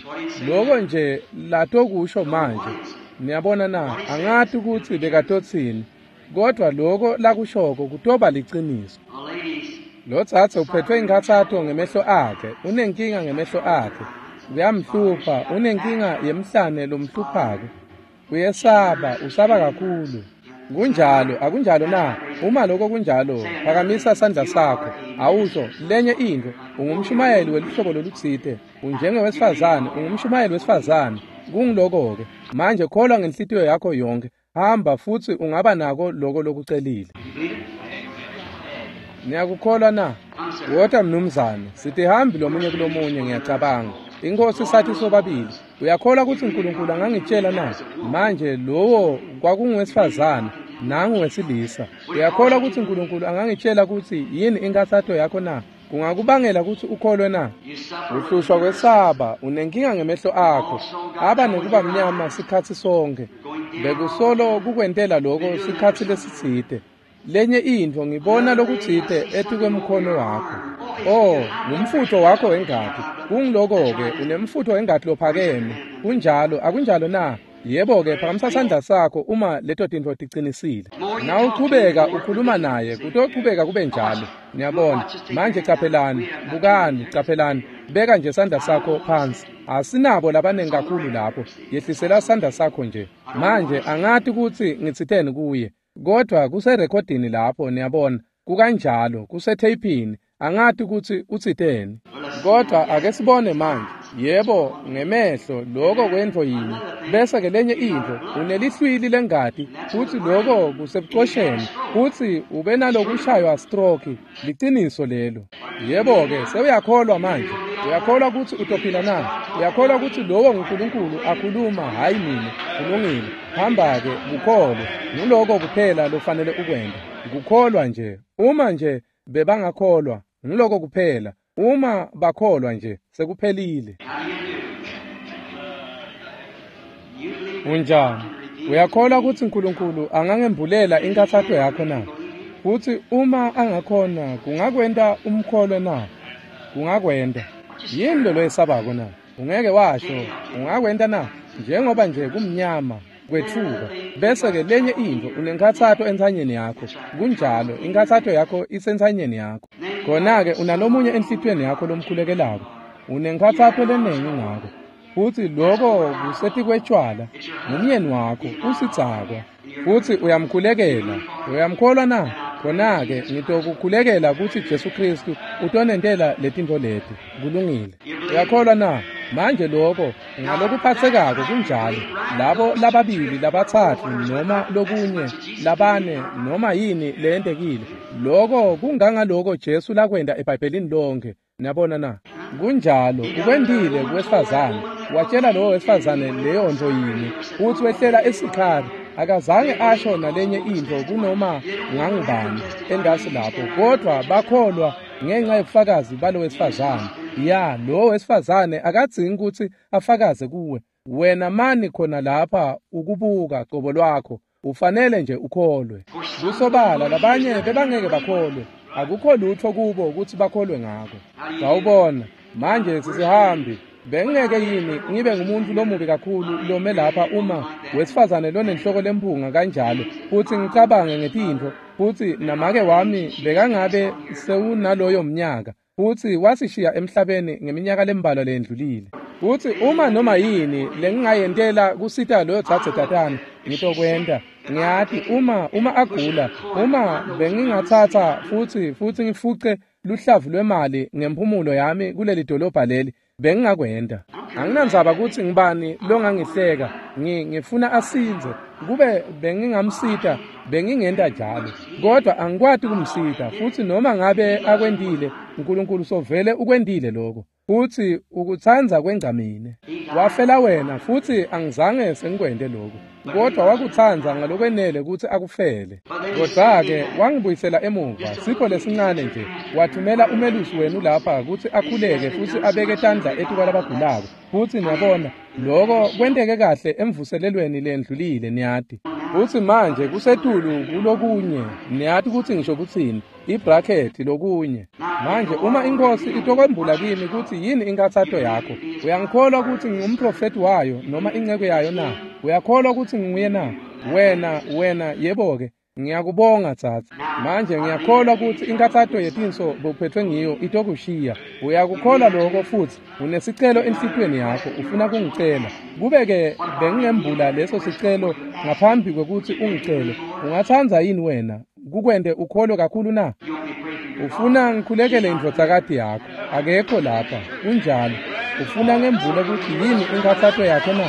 Loko nje latokusho manje. Niyabona na? Angati kutsi bekatotsini, kodwa loko lakushoko kutoba liciniso. Lo tsatse uphethwe inkhatsato ngemehlo akhe, unenkinga ngemehlo akhe, kuyamhlupha, unenkinga yemhlane lomhluphako, uyesaba, usaba kakhulu. Kunjalo, akunjalo na? Uma lokho kunjalo, phakamisa sandla sakho. Awusho lenye intfo, ungumshumayeli weluhlobo lolutsite, unjengewesifazane, ungumshumayeli wesifazane. Kungiloko-ke. Manje kholwa ngenhlitiyo yakho yonke. Hamba futsi ungaba nako loko lokucelile. Niyakukholwa na? Wota mnumzane, sitihambi lomunye kulomunye ngiyacabanga. Inkosi sathi sobabili. Uyakholwa kutsi uNkulunkulu angangitshela na? Manje lowo kwakunguwesifazane, nangu wesilisa. Uyakholwa kutsi uNkulunkulu angangitshela kutsi yini inkhatsato yakho na? Kungakubangela kutsi ukholwe na? Uhlushwa kwesaba, unenkinga ngemehlo akho, aba nekuba mnyama sikhatsi sonke. Bekusolo kukwentela loko sikhatsi lesitsite. Lenye intfo ngibona lokutsite etikwemkhono wakho. Oh, ngumfutho wakho wengati. Kungiloko-ke, unemfutho wengati lophakeme. Kunjalo, akunjalo na? Yebo-ke, phakamisa sandla sakho uma leto tintfo ticinisile. Nawuchubeka ukhuluma naye, kutochubeka kube njalo. Niyabona? Manje caphelani, bukani, caphelani. Beka nje sandla sakho phansi. Asinabo labanengi kakhulu lapho. Yehlisela sandla sakho nje. Manje angati kutsi ngitsiteni kuye, kodwa kuserekhodini lapho, niyabona. Kukanjalo, kusetheyphini. Angati kutsi utsiteni. Kodwa ake sibone manje. Yebo, ngemehlo loko kwentfo yinye. Bese ke lenye intfo, unelihlwili lengati, futsi loko kusebucosheni, futsi ube nalokushaywa stroke. Liciniso lelo. Yebo-ke, sewuyakholwa manje. Uyakholwa kutsi utophila na? Uyakholwa kutsi lowo nguNkulunkulu akhuluma, hhayi mine? Kulungile. Hamba-ke, kukholwe. Nguloko kuphela lofanele ukwente. Kukholwa nje. Uma nje bebangakholwa, nguloko kuphela. Uma bakholwa nje, sekuphelile. Unjani? Uyakholwa kutsi uNkulunkulu angangembulela inkhatsato yakho na? Futsi uma angakhona, kungakwenta umkholwe na? Kungakwenta. Yini lo loyesabako na? Ungeke washo, ungakwenta na? Njengoba nje kumnyama kwetfuka. Bese-ke lenye intfo, unenkhatsato entsanyeni yakho. Kunjalo, inkhatsato yakho isentsanyeni yakho. Khona-ke unalomunye enhlitiyweni yakho lomkhulekelako. Unenkhatsato lenengi ngako. Futsi loko kusetikwetshwala, ngumyeni wakho, usidzakwa. Futsi uyamkhulekela. Uyamkholwa na? Khona-ke ngitokukhulekela kutsi Jesu Kristu utonentela letintfo leti. Kulungile. Uyakholwa na? Manje lokho ngalokuphathekako kunjalo, labo lababili labatsatfu noma lokunye labane noma yini leyentekile, lokho kungangaloko Jesu lakwenta eBhayibhelini lonke. Niyabona na? Kunjalo, ukwentile kuwesifazane. Watshela lowo wesifazane leyo nto yini, futsi wehlela esikhari. Akazange asho nalenye intfo kunoma ngangubani entasi lapho, kodvwa bakholwa ngenxa yobufakazi balo wesifazane. Ya, lo wesifazane akadzingi kutsi afakaze kuwe. Wena mani khona lapha ukubuka qobo lwakho, ufanele nje ukholwe. Kusobala labanye bebangeke bakholwe, akukho lutho kubo ukuthi bakholwe ngako. Sawubona, manje sisihambi. Bengeke yini ngibe ngumuntu lomubi kakhulu lome lapha uma wesifazane lonenhloko lemphunga kanjalo, futhi ngicabange ngetintfo, futhi namake wami bekangabe sewunaloyo mnyaka, futhi wasishiya emhlabeni ngeminyaka lembalwa leyendlulile. Futhi uma noma yini lengingayentela kusita loyo dzadze tatana, ngitokwenta. Ngiyati uma uma agula, uma bengingatsatsa futhi futhi ngifuce luhlavu lwemali ngemphumulo yami kuleli dolobha leli, bengingakwenta. Anginandzaba kutsi ngibani longangihleka, ngi ngifuna asindze. Kube bengingamsita, bengingenta njalo, kodwa angikwati kumsita. Futhi noma ngabe akwentile, uNkulunkulu sovele ukwentile lokho, futhi ukutsandza kwengca mine. Wafela wena, futhi angizange sengikwente lokho, kodwa wakutsandza ngalokwenele kutsi akufele. Kodwa-ke wangibuyisela emuva, sipho lesincane nje. Wathumela umelusi wenu lapha kutsi akhuleke futhi abeke tandla etikwalabagulako. Futhi niyabona, lokho kwenteke kahle emvuselelweni lendlulile, niyati. Futhi manje kusetulu kulokunye, niyati kutsi ngisho kutsini, ibrakhethi lokunye. Manje uma iNkosi itokwembula kimi kutsi yini inkathato yakho, uyangikholwa kutsi ngingumprofethi wayo noma inceku yayo na? Uyakholwa kutsi nginguye na? Wena, wena, yebo-ke, ngiyakubonga tsatsa. Manje ngiyakholwa kutsi inkathato yetinso bophethwe ngiyo itokushiya. Uyakukholwa lokho futhi unesicelo enhlitiyweni yakho, ufuna kungicela. Kube-ke bengingembula leso sicelo ngaphambi kwekutsi ungicele, ungatsandza yini wena kukwente ukholwe kakhulu na? Ufuna ngikhulekele indvodzakati yakho, akekho lapha, kunjalo. Ufuna ngembule kutsi yini inkathato yakhe na?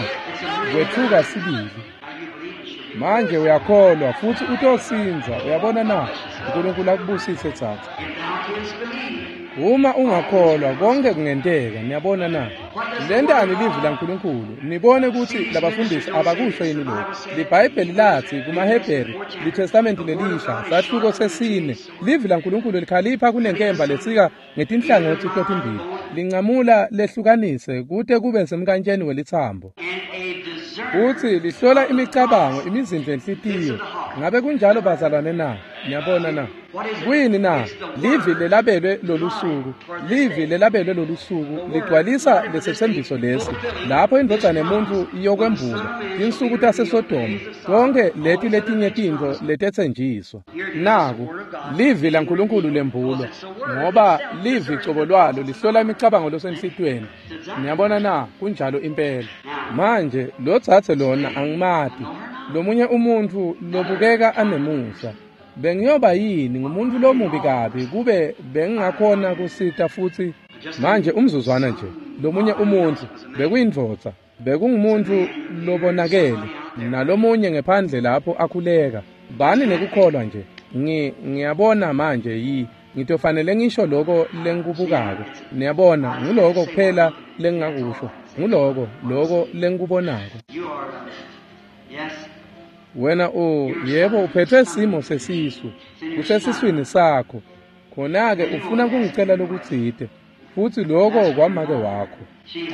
Kwetfuka sibili. Manje uyakholwa futhi utosindza, uyabona na? uNkulunkulu akubusise tsatsa. Uma ungakholwa konke kungenteka, niyabona na? Lentani livi laNkulunkulu, nibone kutsi labafundisi abakusho yini lokhu. LiBhayibheli latsi kumaHebheru, liTestamenti lelisha, sahluko sesine, livi laNkulunkulu likhalipha kunenkemba lesika ngetinhlangotsi totimbili, lincamula lehlukanise kute kube semkantsheni welitsambo. Futsi lihlola imicabango, imizindlo yenhlitiyo. Ngabe kunjalo bazalwane na? Niyabona na? Kuyini na? Livi lelabelwe lolusuku, livi lelabelwe lolusuku ligcwalisa lesetsembiso lesi, lapho indvodzana yemuntfu iyokwembulwa, tinsuku taseSodoma, tonke leti letinye tintfo letetsenjiswa. Naku, livi laNkulunkulu lembulwa, ngoba livi cobo lwalo lihlola imicabango losenhlitiyweni. Niyabona na? Kunjalo impela. Manje lo dzadze lona angimati, lomunye umuntfu lobukeka anemusa. Bengiyoba yini ngumuntu lomubi kabi kube bengingakhona kusita futhi? Manje umzuzwana nje, lomunye umuntfu bekuyindvodza, bekungumuntu lobonakele, nalomunye ngephandle lapho akhuleka. Bani nekukholwa nje. Ngi ngiyabona manje yi ngitofanele ngisho lokho lengikubukako. Niyabona, nguloko kuphela lengingakusho, nguloko lokho lengikubonako. Wena o, yebo, uphethwe simo sesisu, kusesiswini sakho. Khona-ke ufuna kungicela lokutsite, futhi lokho kwamake wakho.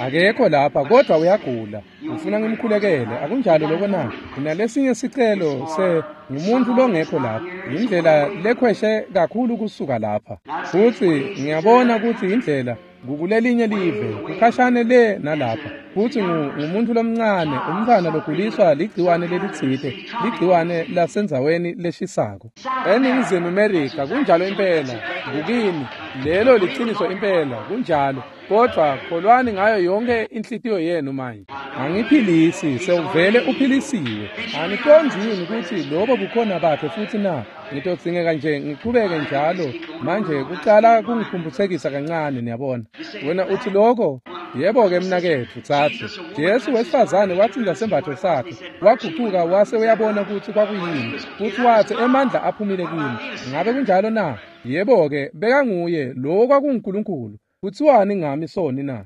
Akekho lapha kodwa uyagula, ufuna ngimkhulekele, akunjalo lokho na? Unalesinye sicelo se ngumuntu longekho lapha, indlela lekhweshe kakhulu kusuka lapha. Futhi ngiyabona kutsi indlela kukulelinye live, kukhashane le nalapha. Futhi ngumuntu lomncane, umntfwana loguliswa ligciwane lelitsite, ligciwane lasendzaweni leshisako. ENingizimu Amerika kunjalo impela, kukini, lelo liciniso impela, kunjalo. Kodwa kholwani ngayo yonke inhlitiyo yenu manje. Angiphilisi, sewuvele uphilisiwe. Anicondzi yini kutsi lobo bukhona bakhe futhi na? Ngitodzingeka nje ngichubeke njalo. Manje kucala kungiphumphutsekisa kancane, niyabona. Wena uthi lokho, Yebo-ke mnaketfu tsatsi. Jesu wesifazane watsinda sembatfo sakhe, wagucuka wase uyabona kutsi kwakuyini, futsi watsi emandla aphumile kimi. Ngabe kunjalo na? Yebo-ke bekanguye lowo kwakunguNkulunkulu. Kutsiwani ngami soni na?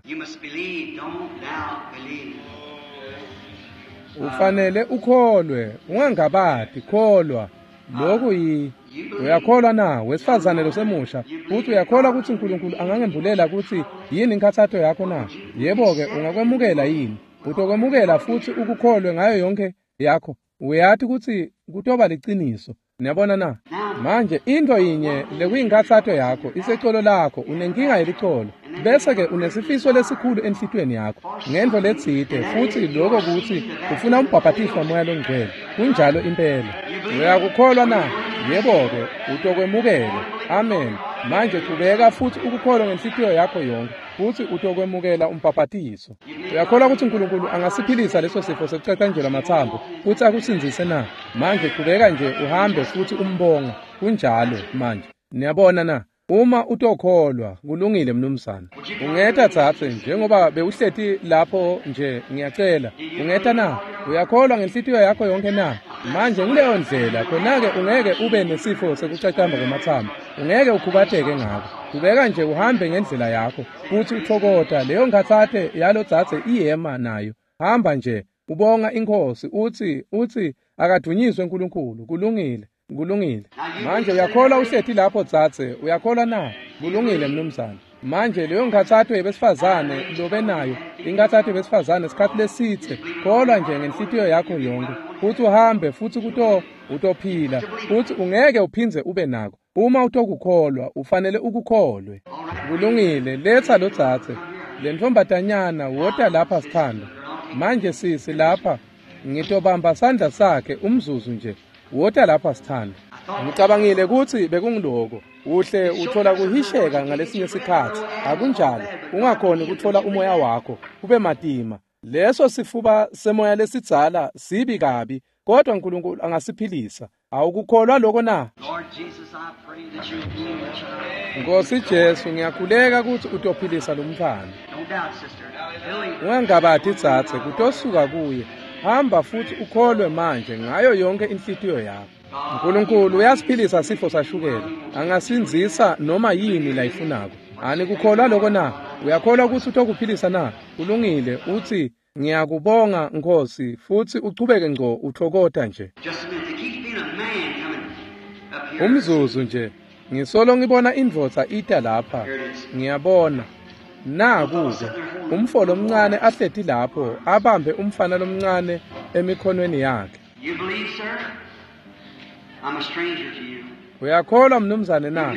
Ufanele ukholwe, ungangabati, kholwa. Lokhu yi uyakholwa na wesifazane losemusha futhi uyakholwa ukuthi uNkulunkulu angangembulela ukuthi yini inkathato yakho na? Yebo-ke ungakwemukela yini? Utokwemukela futhi ukukholwe ngayo yonke yakho. Uyati ukuthi kutoba liciniso. Niyabona na? Manje into yinye lekuyinkathato yakho isecolo lakho, unenkinga yelicolo, bese-ke unesifiso lesikhulu enhlitiyweni yakho ngento letsite, futhi lokho kuthi ufuna umbhabhatiso waMoya loNgcwele. Kunjalo impela. Uyakukholwa na? Yebo-ke utokwemukela. Amen. Manje qhubeka futhi ukukholwa ngenhlitiyo yakho yonke, futhi utokwemukela umbhabhatiso. Uyakholwa ukuthi uNkulunkulu angasiphilisa leso sifo sekucacanjelwa amathambo futhi akusindzise na? Manje qhubeka nje uhambe futhi umbonga. Kunjalo manje. Niyabona na? Uma utokholwa, kulungile mnumzane. Ungeta tsatse njengoba bewuhleti lapho nje, ngiyacela. Ungeta na? Uyakholwa ngenhlitiyo yakho yonke na? Manje kuleyo ndlela khona-ke ungeke ube nesifo sekucacamba kwemathambo. Ungeke ukhubateke ngako. Qhubeka nje uhambe ngendlela yakho futhi uthokota leyo nkhatsate yalo tsatse iyema nayo. Hamba nje ubonga inkosi uthi uthi akadunyiswe uNkulunkulu. Kulungile. Kulungile. Manje uyakholwa uhleti lapho tsatse? Uyakholwa na? Kulungile mnumzane. Manje leyo nkhatsato yebesifazane lobe nayo, inkhatsato yebesifazane isikhathi lesitse, kholwa nje ngenhlitiyo yakho yonke futhi uhambe futhi kuto utophila futhi ungeke uphindze ube nako. Uma utokukholwa ufanele ukukholwe. Kulungile. Letha lo tsatse le ntombatanyana, wota lapha sithando. Manje sisi lapha ngitobamba sandla sakhe umzuzu nje. Wota lapha sithando. Ngicabangile ukuthi bekungiloko. Uhle uthola kuhisheka ngalesinye sikhathi, akunjalo? Ungakhoni ukuthola umoya wakho kube matima. Leso sifuba semoya lesidzala sibi kabi, kodwa uNkulunkulu angasiphilisa. Awukukholwa lokho na? Nkosi Jesu, ngiyakhuleka ukuthi utophilisa lo mntwana. Ungangabati tsatse, kutosuka kuye. Hamba futhi ukholwe manje ngayo yonke inhlitiyo yakho. uNkulunkulu uyasiphilisa sifo sashukela, angasindzisa noma yini layifunako. Anikukholwa lokho na? Uyakholwa ukuthi utokuphilisa na? Kulungile. Uthi ngiyakubonga Nkosi, futhi uchubeke ngco uthokota nje. Umzuzu nje, ngisolo ngibona indvodza ita lapha. Ngiyabona naku-ke umfo lomncane ahleti lapho abambe umfana lomncane emikhonweni yakhe. Uyakholwa mnumzane na?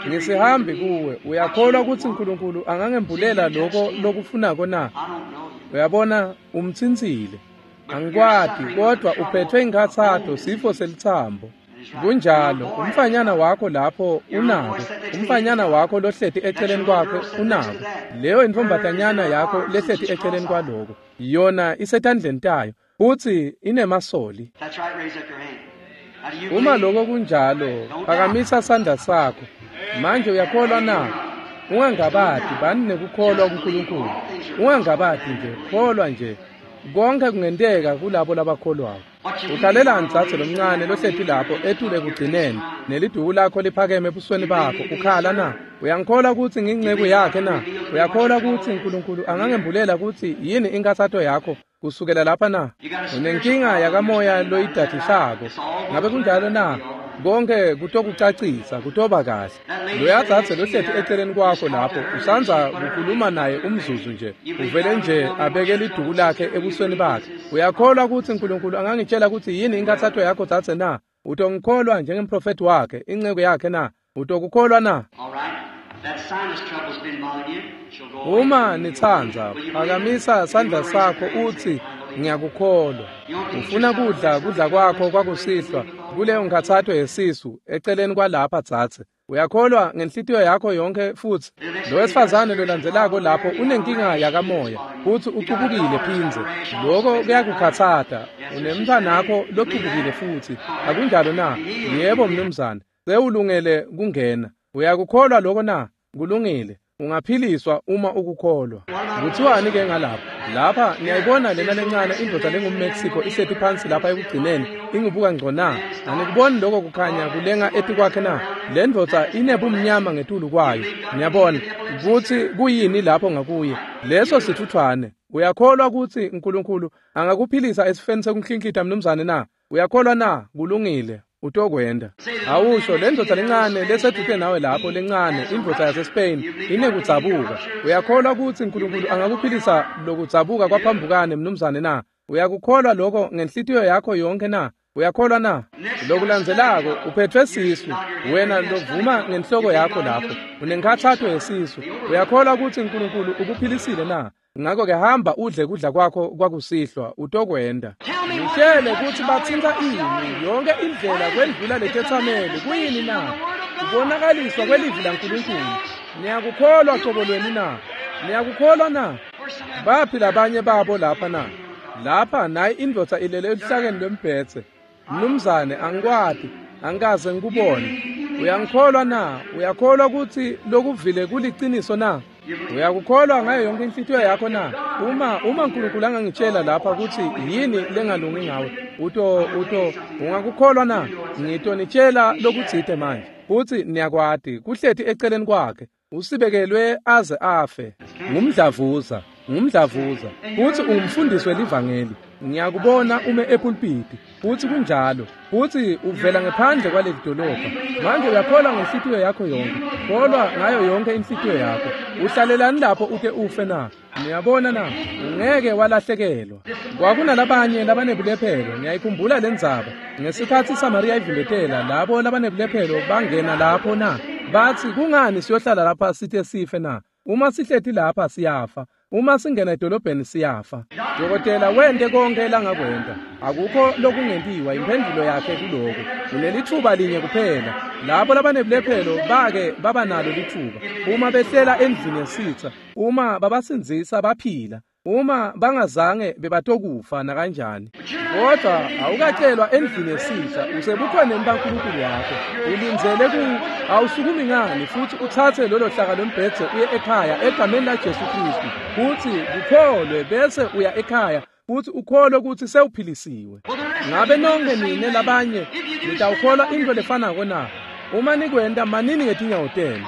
Ngisihambi kuwe. Uyakholwa ukuthi uNkulunkulu angangembulela lokho lokufunako na? Uyabona umtsintsile. Angikwati, kodwa uphethwe inkhatsato, sifo selithambo. Kunjalo. Umfanyana wakho lapho unako. Umfanyana wakho lohleti eceleni kwakhe unako. Leyo intombatanyana yakho lehleti eceleni kwaloko, yona isetandleni tayo futhi inemasoli. Uma lokho kunjalo, phakamisa sandla sakho. Manje uyakholwa na? Ungangabati, bani nekukholwa kuNkulunkulu. Ungangabati nje, kholwa nje. Konke kungenteka kulabo labakholwako. Ukhalelani tsatse lomncane lohleti lapho etule ekugcineni, neliduku lakho liphakeme ebusweni bakho, ukhala na? Uyangikholwa ukuthi ngiyinceku yakhe na? Uyakholwa ukuthi uNkulunkulu angangembulela ukuthi yini inkathato yakho kusukela lapha na? Unenkinga yakamoya loyidadishako. Ngabe kunjalo na? Konke kutokucacisa, kutoba kahle. Loya tsatse lohleti eceleni kwakho lapho usandza kukhuluma naye umzuzu nje, uvele nje abeke liduku lakhe ebusweni bakhe. Uyakholwa ukuthi uNkulunkulu angangitshela ukuthi yini inkathato yakho tsatse na? Utongikholwa njengemprofeti wakhe, inceku yakhe na? Utokukholwa na? Uma nitsandza, phakamisa sandla sakho uthi ngiyakukholwa. Ufuna kudla kudla kwakho kwakusihlwa kuleyo nkhatsato yesisu eceleni kwalapha tsatse. Uyakholwa ngenhlitiyo yakho yonke futhi? Lo wesifazane lolandzelako lapho unenkinga yakamoya futhi ucubukile phindze. Lokho kuyakukhatsata. Unemntwanakho locubukile futhi. Akunjalo na? Yebo mnumzane. Sewulungele kungena. Uyakukholwa lokho na? Kulungile. Ungaphiliswa uma ukukholwa. Kuthiwani ke ngalapha? Lapha niyayibona lena lencane indoda lenguMexico isethi phansi lapha ekugcineni ingibuka ngco na? Anikuboni lokho kukhanya kulenga etikwakhe na? Le ndoda inebumnyama ngetulu kwayo. Niyabona ukuthi kuyini lapho ngakuye? Leso sithuthwane. Uyakholwa ukuthi uNkulunkulu angakuphilisa esifeni sekunhlinhlitha mnumzane na? Uyakholwa na? Kulungile. Utokwenda. Awusho le ndoda lencane lesedute nawe lapho lencane indvodza yaseSpain inekudzabuka. Uyakholwa ukuthi uNkulunkulu angakuphilisa lokudzabuka kwaphambukane mnumzane na? Uyakukholwa lokho ngenhlitiyo yakho yonke na? Uyakholwa na? Lokulandzelako uphethwe sisu. Wena lovuma ngenhloko yakho lapho. Unenkhathato yesisu. Uyakholwa ukuthi uNkulunkulu ukuphilisile na? Ngakho ke hamba udle kudla kwakho kwakusihlwa utokwenda. Ngitshele ukuthi bathinta ini yonke indlela kwendlula letethameli kuyini na? Kubonakaliswa kwelivi laNkulunkulu. Niyakukholwa cobo lweni na? Niyakukholwa na? Baphi labanye babo lapha na? Lapha nayi indvodza ilele eluhlakeni lwembhedze. Mnumzane angikwati, angikaze ngikubone. Uyangikholwa na? Uyakholwa ukuthi lokuvile kuliciniso na? Uyakukholwa ngayo yonke inhlitiyo yakho na? Uma uma uNkulunkulu angangitshela lapha ukuthi yini lengalungi ngawe, uto uto ungakukholwa na? Ngitonitshela lokutsite manje. Futhi niyakwati kuhleti eceleni kwakhe usibekelwe aze afe. Ngumdlavuza, ngumdlavuza. Futhi ungumfundisi welivangeli. Ngiyakubona ume epulpiti. Futhi kunjalo. Futhi uvela ngephandle kwaleli dolobha. Manje uyakholwa ngenhlitiyo yakho yonke. Kholwa ngayo yonke inhlitiyo yakho. Uhlalelani lapho ute ufe na? Niyabona na? Ungeke walahlekelwa. Kwakunalabanye labanebulephelo. Ngiyayikhumbula lendzaba. Ngesikhathi iSamaria ivimbetela labo labanebulephelo bangena lapho na? Bathi kungani siyohlala lapha sithe sife na? Uma sihleti lapha siyafa. Uma singena edolobheni siyafa. Dokotela wente konke langakwenta. Akukho lokungentiwa imphendulo yakhe kuloko. Unelithuba linye kuphela. Labo labanebulephelo bake baba nalo lithuba. Uma behlela endlini yesitha, uma babasindzisa baphila. Uma bangazange bebatokufa nakanjani. Kodwa awukatshelwa endlini yesitha, usebukhoneni baNkulunkulu wakho. Ulindzele ku awusukumi ngani futhi uthathe lolo hlaka lombhedze uye ekhaya egameni laJesu Kristu. Futhi ukholwe bese uya ekhaya futhi ukholwe ukuthi sewuphilisiwe. Ngabe nonke nine labanye nitawukholwa into lefanako na? Uma nikwenta manini ngetinyawo tenu.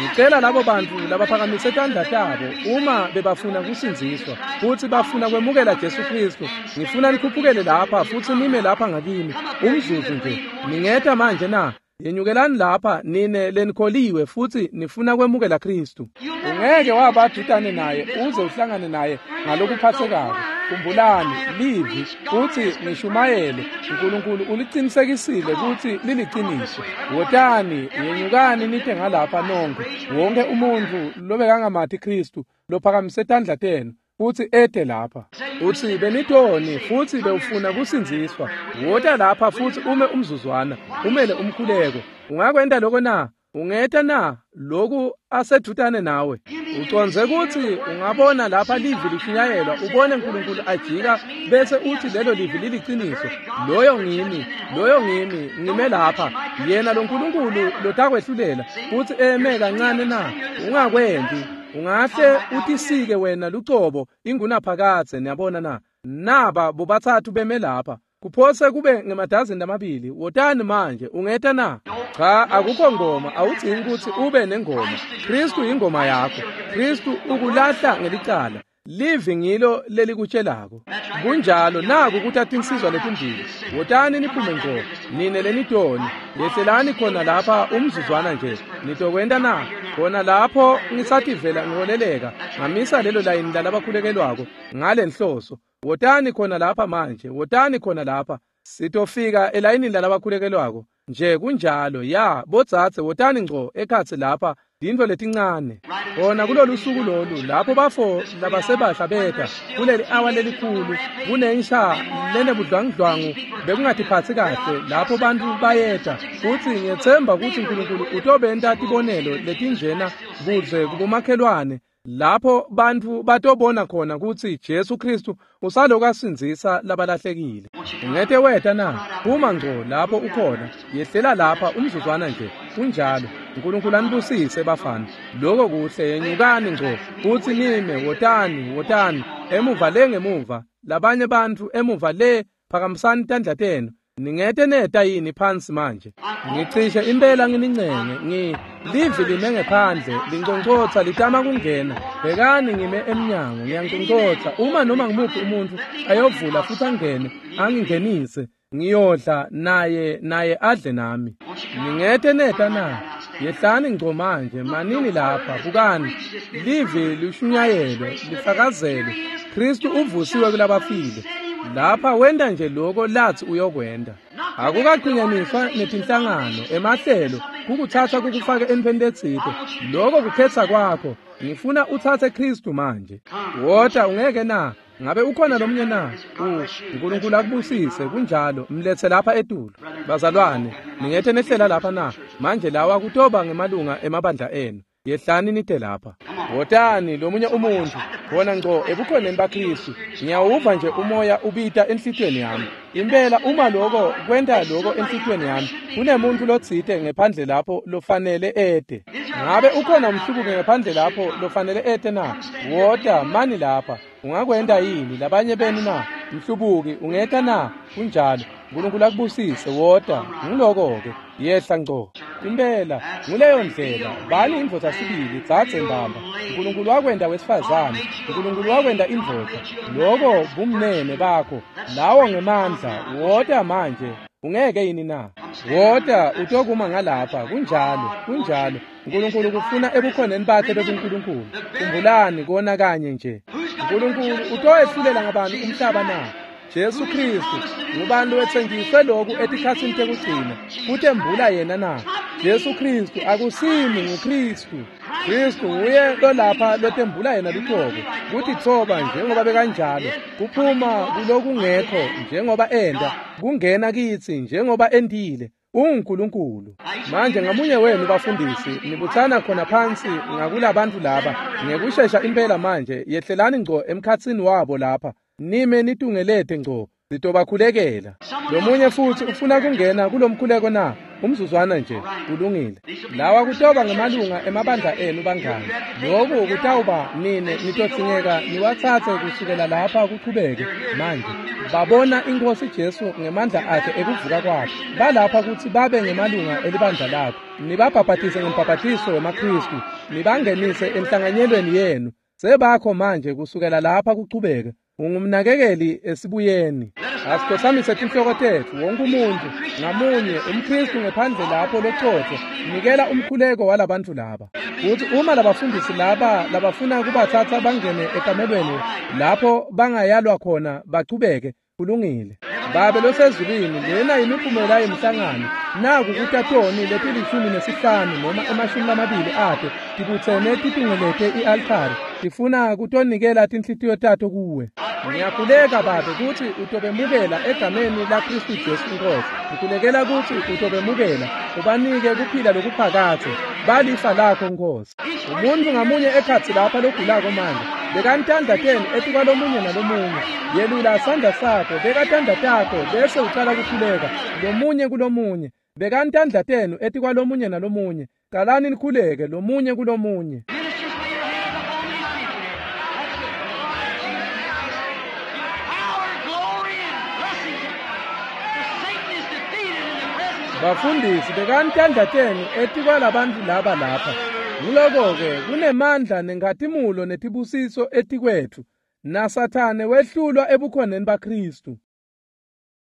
Ngicela labo bantu labaphakamise tandla tabo uma bebafuna kusindziswa futhi bafuna kwemukela Jesu Kristu. Ngifuna nikhuphukele lapha futhi nime lapha ngakimi umzuzu nje. Ningeta manje na? Yenyukelani lapha nine lenikholiwe futhi nifuna kwemukela Kristu. Ungeke wabadudane naye uze uhlangane naye ngalokuphathekako. Khumbulani livi futhi nishumayele. uNkulunkulu uliqinisekisile ukuthi liliqiniso. Wotani yenyukani nite ngalapha nonke. Wonke umuntu lobekangamathi Kristu lophakamise tandla tenu futhi ede lapha. Uthi benitoni futhi bewufuna kusindziswa. Wota lapha futhi ume umzuzwana, umele umkhuleko. Ungakwenta lokho na? Ungeta na lokhu asedutane nawe? Uconze ukuthi ungabona lapha livi lishunyayelwa, ubone uNkulunkulu ajika bese uthi lelo livi liliqiniso. Loyo ngimi, loyo ngimi, ngime lapha. Yena lo nkulunkulu lotakwehlulela futhi eme kancane na? Ungakwenti. Ungahle utisike wena lucobo ingunaphakadze. Niyabona na? Naba bobathathu beme lapha. Kuphose kube ngemadazini amabili. Wotani manje. Ungeta na? Cha, akukho ngoma. Awudzingi ukuthi ube nengoma. Kristu ingoma yakho. Kristu ukulahla ngelicala. Livi ngilo lelikutshelako. Kunjalo. Naku kuthatha insizwa letimbili. Wotani niphume ngqo nine lenitoni. Yehlelani khona lapha umzuzwana nje. Nitokwenta na? Khona lapho ngisativela ngiholeleka ngamisa lelo layini lalabakhulekelwako ngale nhloso. Wotani khona lapha manje. Wotani khona lapha. Sitofika elayinini lalabakhulekelwako nje. Kunjalo. Ya bodzadze, wotani ngco ekhatsi lapha. Tintfo letincane khona kulolu suku lolu lapho bafo labasebasha beta kuleli awa lelikhulu kunensha lenebudlwangudlwangu bekungatiphatsi kahle lapho bantu bayeta. Futhi ngiyetsemba ukuthi uNkulunkulu utobenta tibonelo letinjena kuze kubomakhelwane Lapho bantfu batobona khona kutsi Jesu Khristu usaloku asindzisa labalahlekile. Ungete weta na? Phuma ngco lapho ukhona. Yehlela lapha umzuzwana nje. Kunjalo. uNkulunkulu anibusise bafana. Lokho kuhle, yenyukani ngco futsi nime, wotani, wotani emuva le ngemuva. Labanye bantfu emuva le, phakamisani tandla tenu. Ningete neta yini phansi manje? Ngicishe impela nginincenge, ngi livi lime ngephandle, linconcotsa litama kungena. Bhekani ngime emnyango, ngiyanconcotsa. Uma noma ngimuphi umuntfu ayovula futhi angene, angingenise, ngiyodla naye, naye adle nami. Ningete neta na? Yehlani ngco manje, manini lapha, bukani. Livi lishunyayelwe, lifakazelwe. Khristu uvusiwe kulabafile. Lapha wenta nje lokho lathi uyokwenta. Akukaqhinyaniswa netinhlangano, emahlelo, kukutsatsa kukufake entfweni letsite. Lokho kukhetsa kwakho. Ngifuna utsatse Khristu manje. Wota ungeke na? Ngabe ukhona lomunye na? uNkulunkulu akubusise, kunjalo. Mlethe lapha etulu. Bazalwane, ningete nehlela lapha na? Manje lawa kutoba ngemalunga emabandla enu. Yehlani nite lapha. Wotani lomunye umuntu khona ngco ebukhoneni baKhristu. Ngiyawuva nje umoya ubita enhlitiyweni yami. Impela uma lokho kwenta lokho enhlitiyweni yami, kunemuntu lotsite ngephandle lapho lofanele ete. Ngabe ukhona umhlubuki ngephandle lapho lofanele ete na? Wota mani lapha. Ungakwenta yini labanye benu na? Mhlubuki ungeta na? Kunjalo. uNkulunkulu akubusise, wota. Ngiloko-ke. Yehla ngco. Impela nguleyo ndlela. Bani indvodza sibili, dzadze mbamba. uNkulunkulu wakwenta wesifazane, uNkulunkulu wakwenta indvodza. Lokho bumnene bakho, lawo ngemandla. Wota manje. Ungeke yini na? Wota utokuma ngalapha. Kunjalo, kunjalo. uNkulunkulu kufuna ebukhoneni bakhe bebuNkulunkulu. Khumbulani kona kanye nje. uNkulunkulu utoyehlulela ngabantu umhlaba na? Jesu Khristu ngubani lowetsenjiswe lokhu etikhatsini tekugcina kutembula yena na? Jesu Khristu akusimi, nguKhristu. Khristu nguye lolapha lotembula yena luqobo, kutitfoba njengoba bekanjalo, kuphuma kulokungekho njengoba enda, kungena kitsi njengoba endile. UnguNkulunkulu. Manje ngamunye wenu bafundisi nibutsana khona phansi ngakulabantu laba ngekushesha impela manje. Yehlelani ngco emkhatsini wabo lapha, nime nitungelete ngco, sitobakhulekela. Lomunye futhi ufuna kungena kulomkhuleko na? Umzuzwana nje. Kulungile. Lawa kutoba ngemalunga emabandla enu bangani. Lokhu kutawuba nine nitodzingeka niwatsatse kusukela lapha kuchubeke. Manje babona iNkhosi Jesu ngemandla akhe ekuvuka kwakhe. Balapha kutsi babe ngemalunga elibandla lakho. Nibabhabhatise ngembhabhatiso wemaKhristu, nibangenise enhlanganyelweni yenu. Sebakho manje kusukela lapha kuchubeke. Ungumnakekeli esibuyeni. Asikhothamise tinhloko tetfu, wonke umuntu ngamunye umKhristu ngephandle lapho locotho, nikela umkhuleko walabantu laba. Futhi uma labafundisi laba labafuna kubatsatsa bangene ekamelweni lapho bangayalwa khona bachubeke, kulungile. Babe losezulwini, lena imiphumela yemhlangano. Naku kutatoni letilishumi nesihlanu noma emashumi lamabili ato tibutsene titungelete i-altari, tifuna kutonikela tinhlitiyo tato kuwe. Ngiyakhuleka Babe kutsi utobemukela egameni laKhristu Jesu iNkhosi. Ngikhulekela kutsi utobemukela, ubanike kuphila lokuphakadze. Balifa lakho Nkhosi. Umuntu ngamunye ekhatsi lapha logulako manje, bekani tandla tenu etikwalomunye nalomunye. Yelula sandla sakho, beka tandla takho bese ucala kukhuleka lomunye kulomunye. Bekani tandla tenu etikwalomunye nalomunye. Qalani nikhuleke lomunye kulomunye. Bafundisi, bekani tandla tenu etikwalabantu laba lapha. Nguloko-ke kunemandla nenkhatimulo netibusiso etikwetfu, naSathane wehlulwa ebukhoneni baKhristu.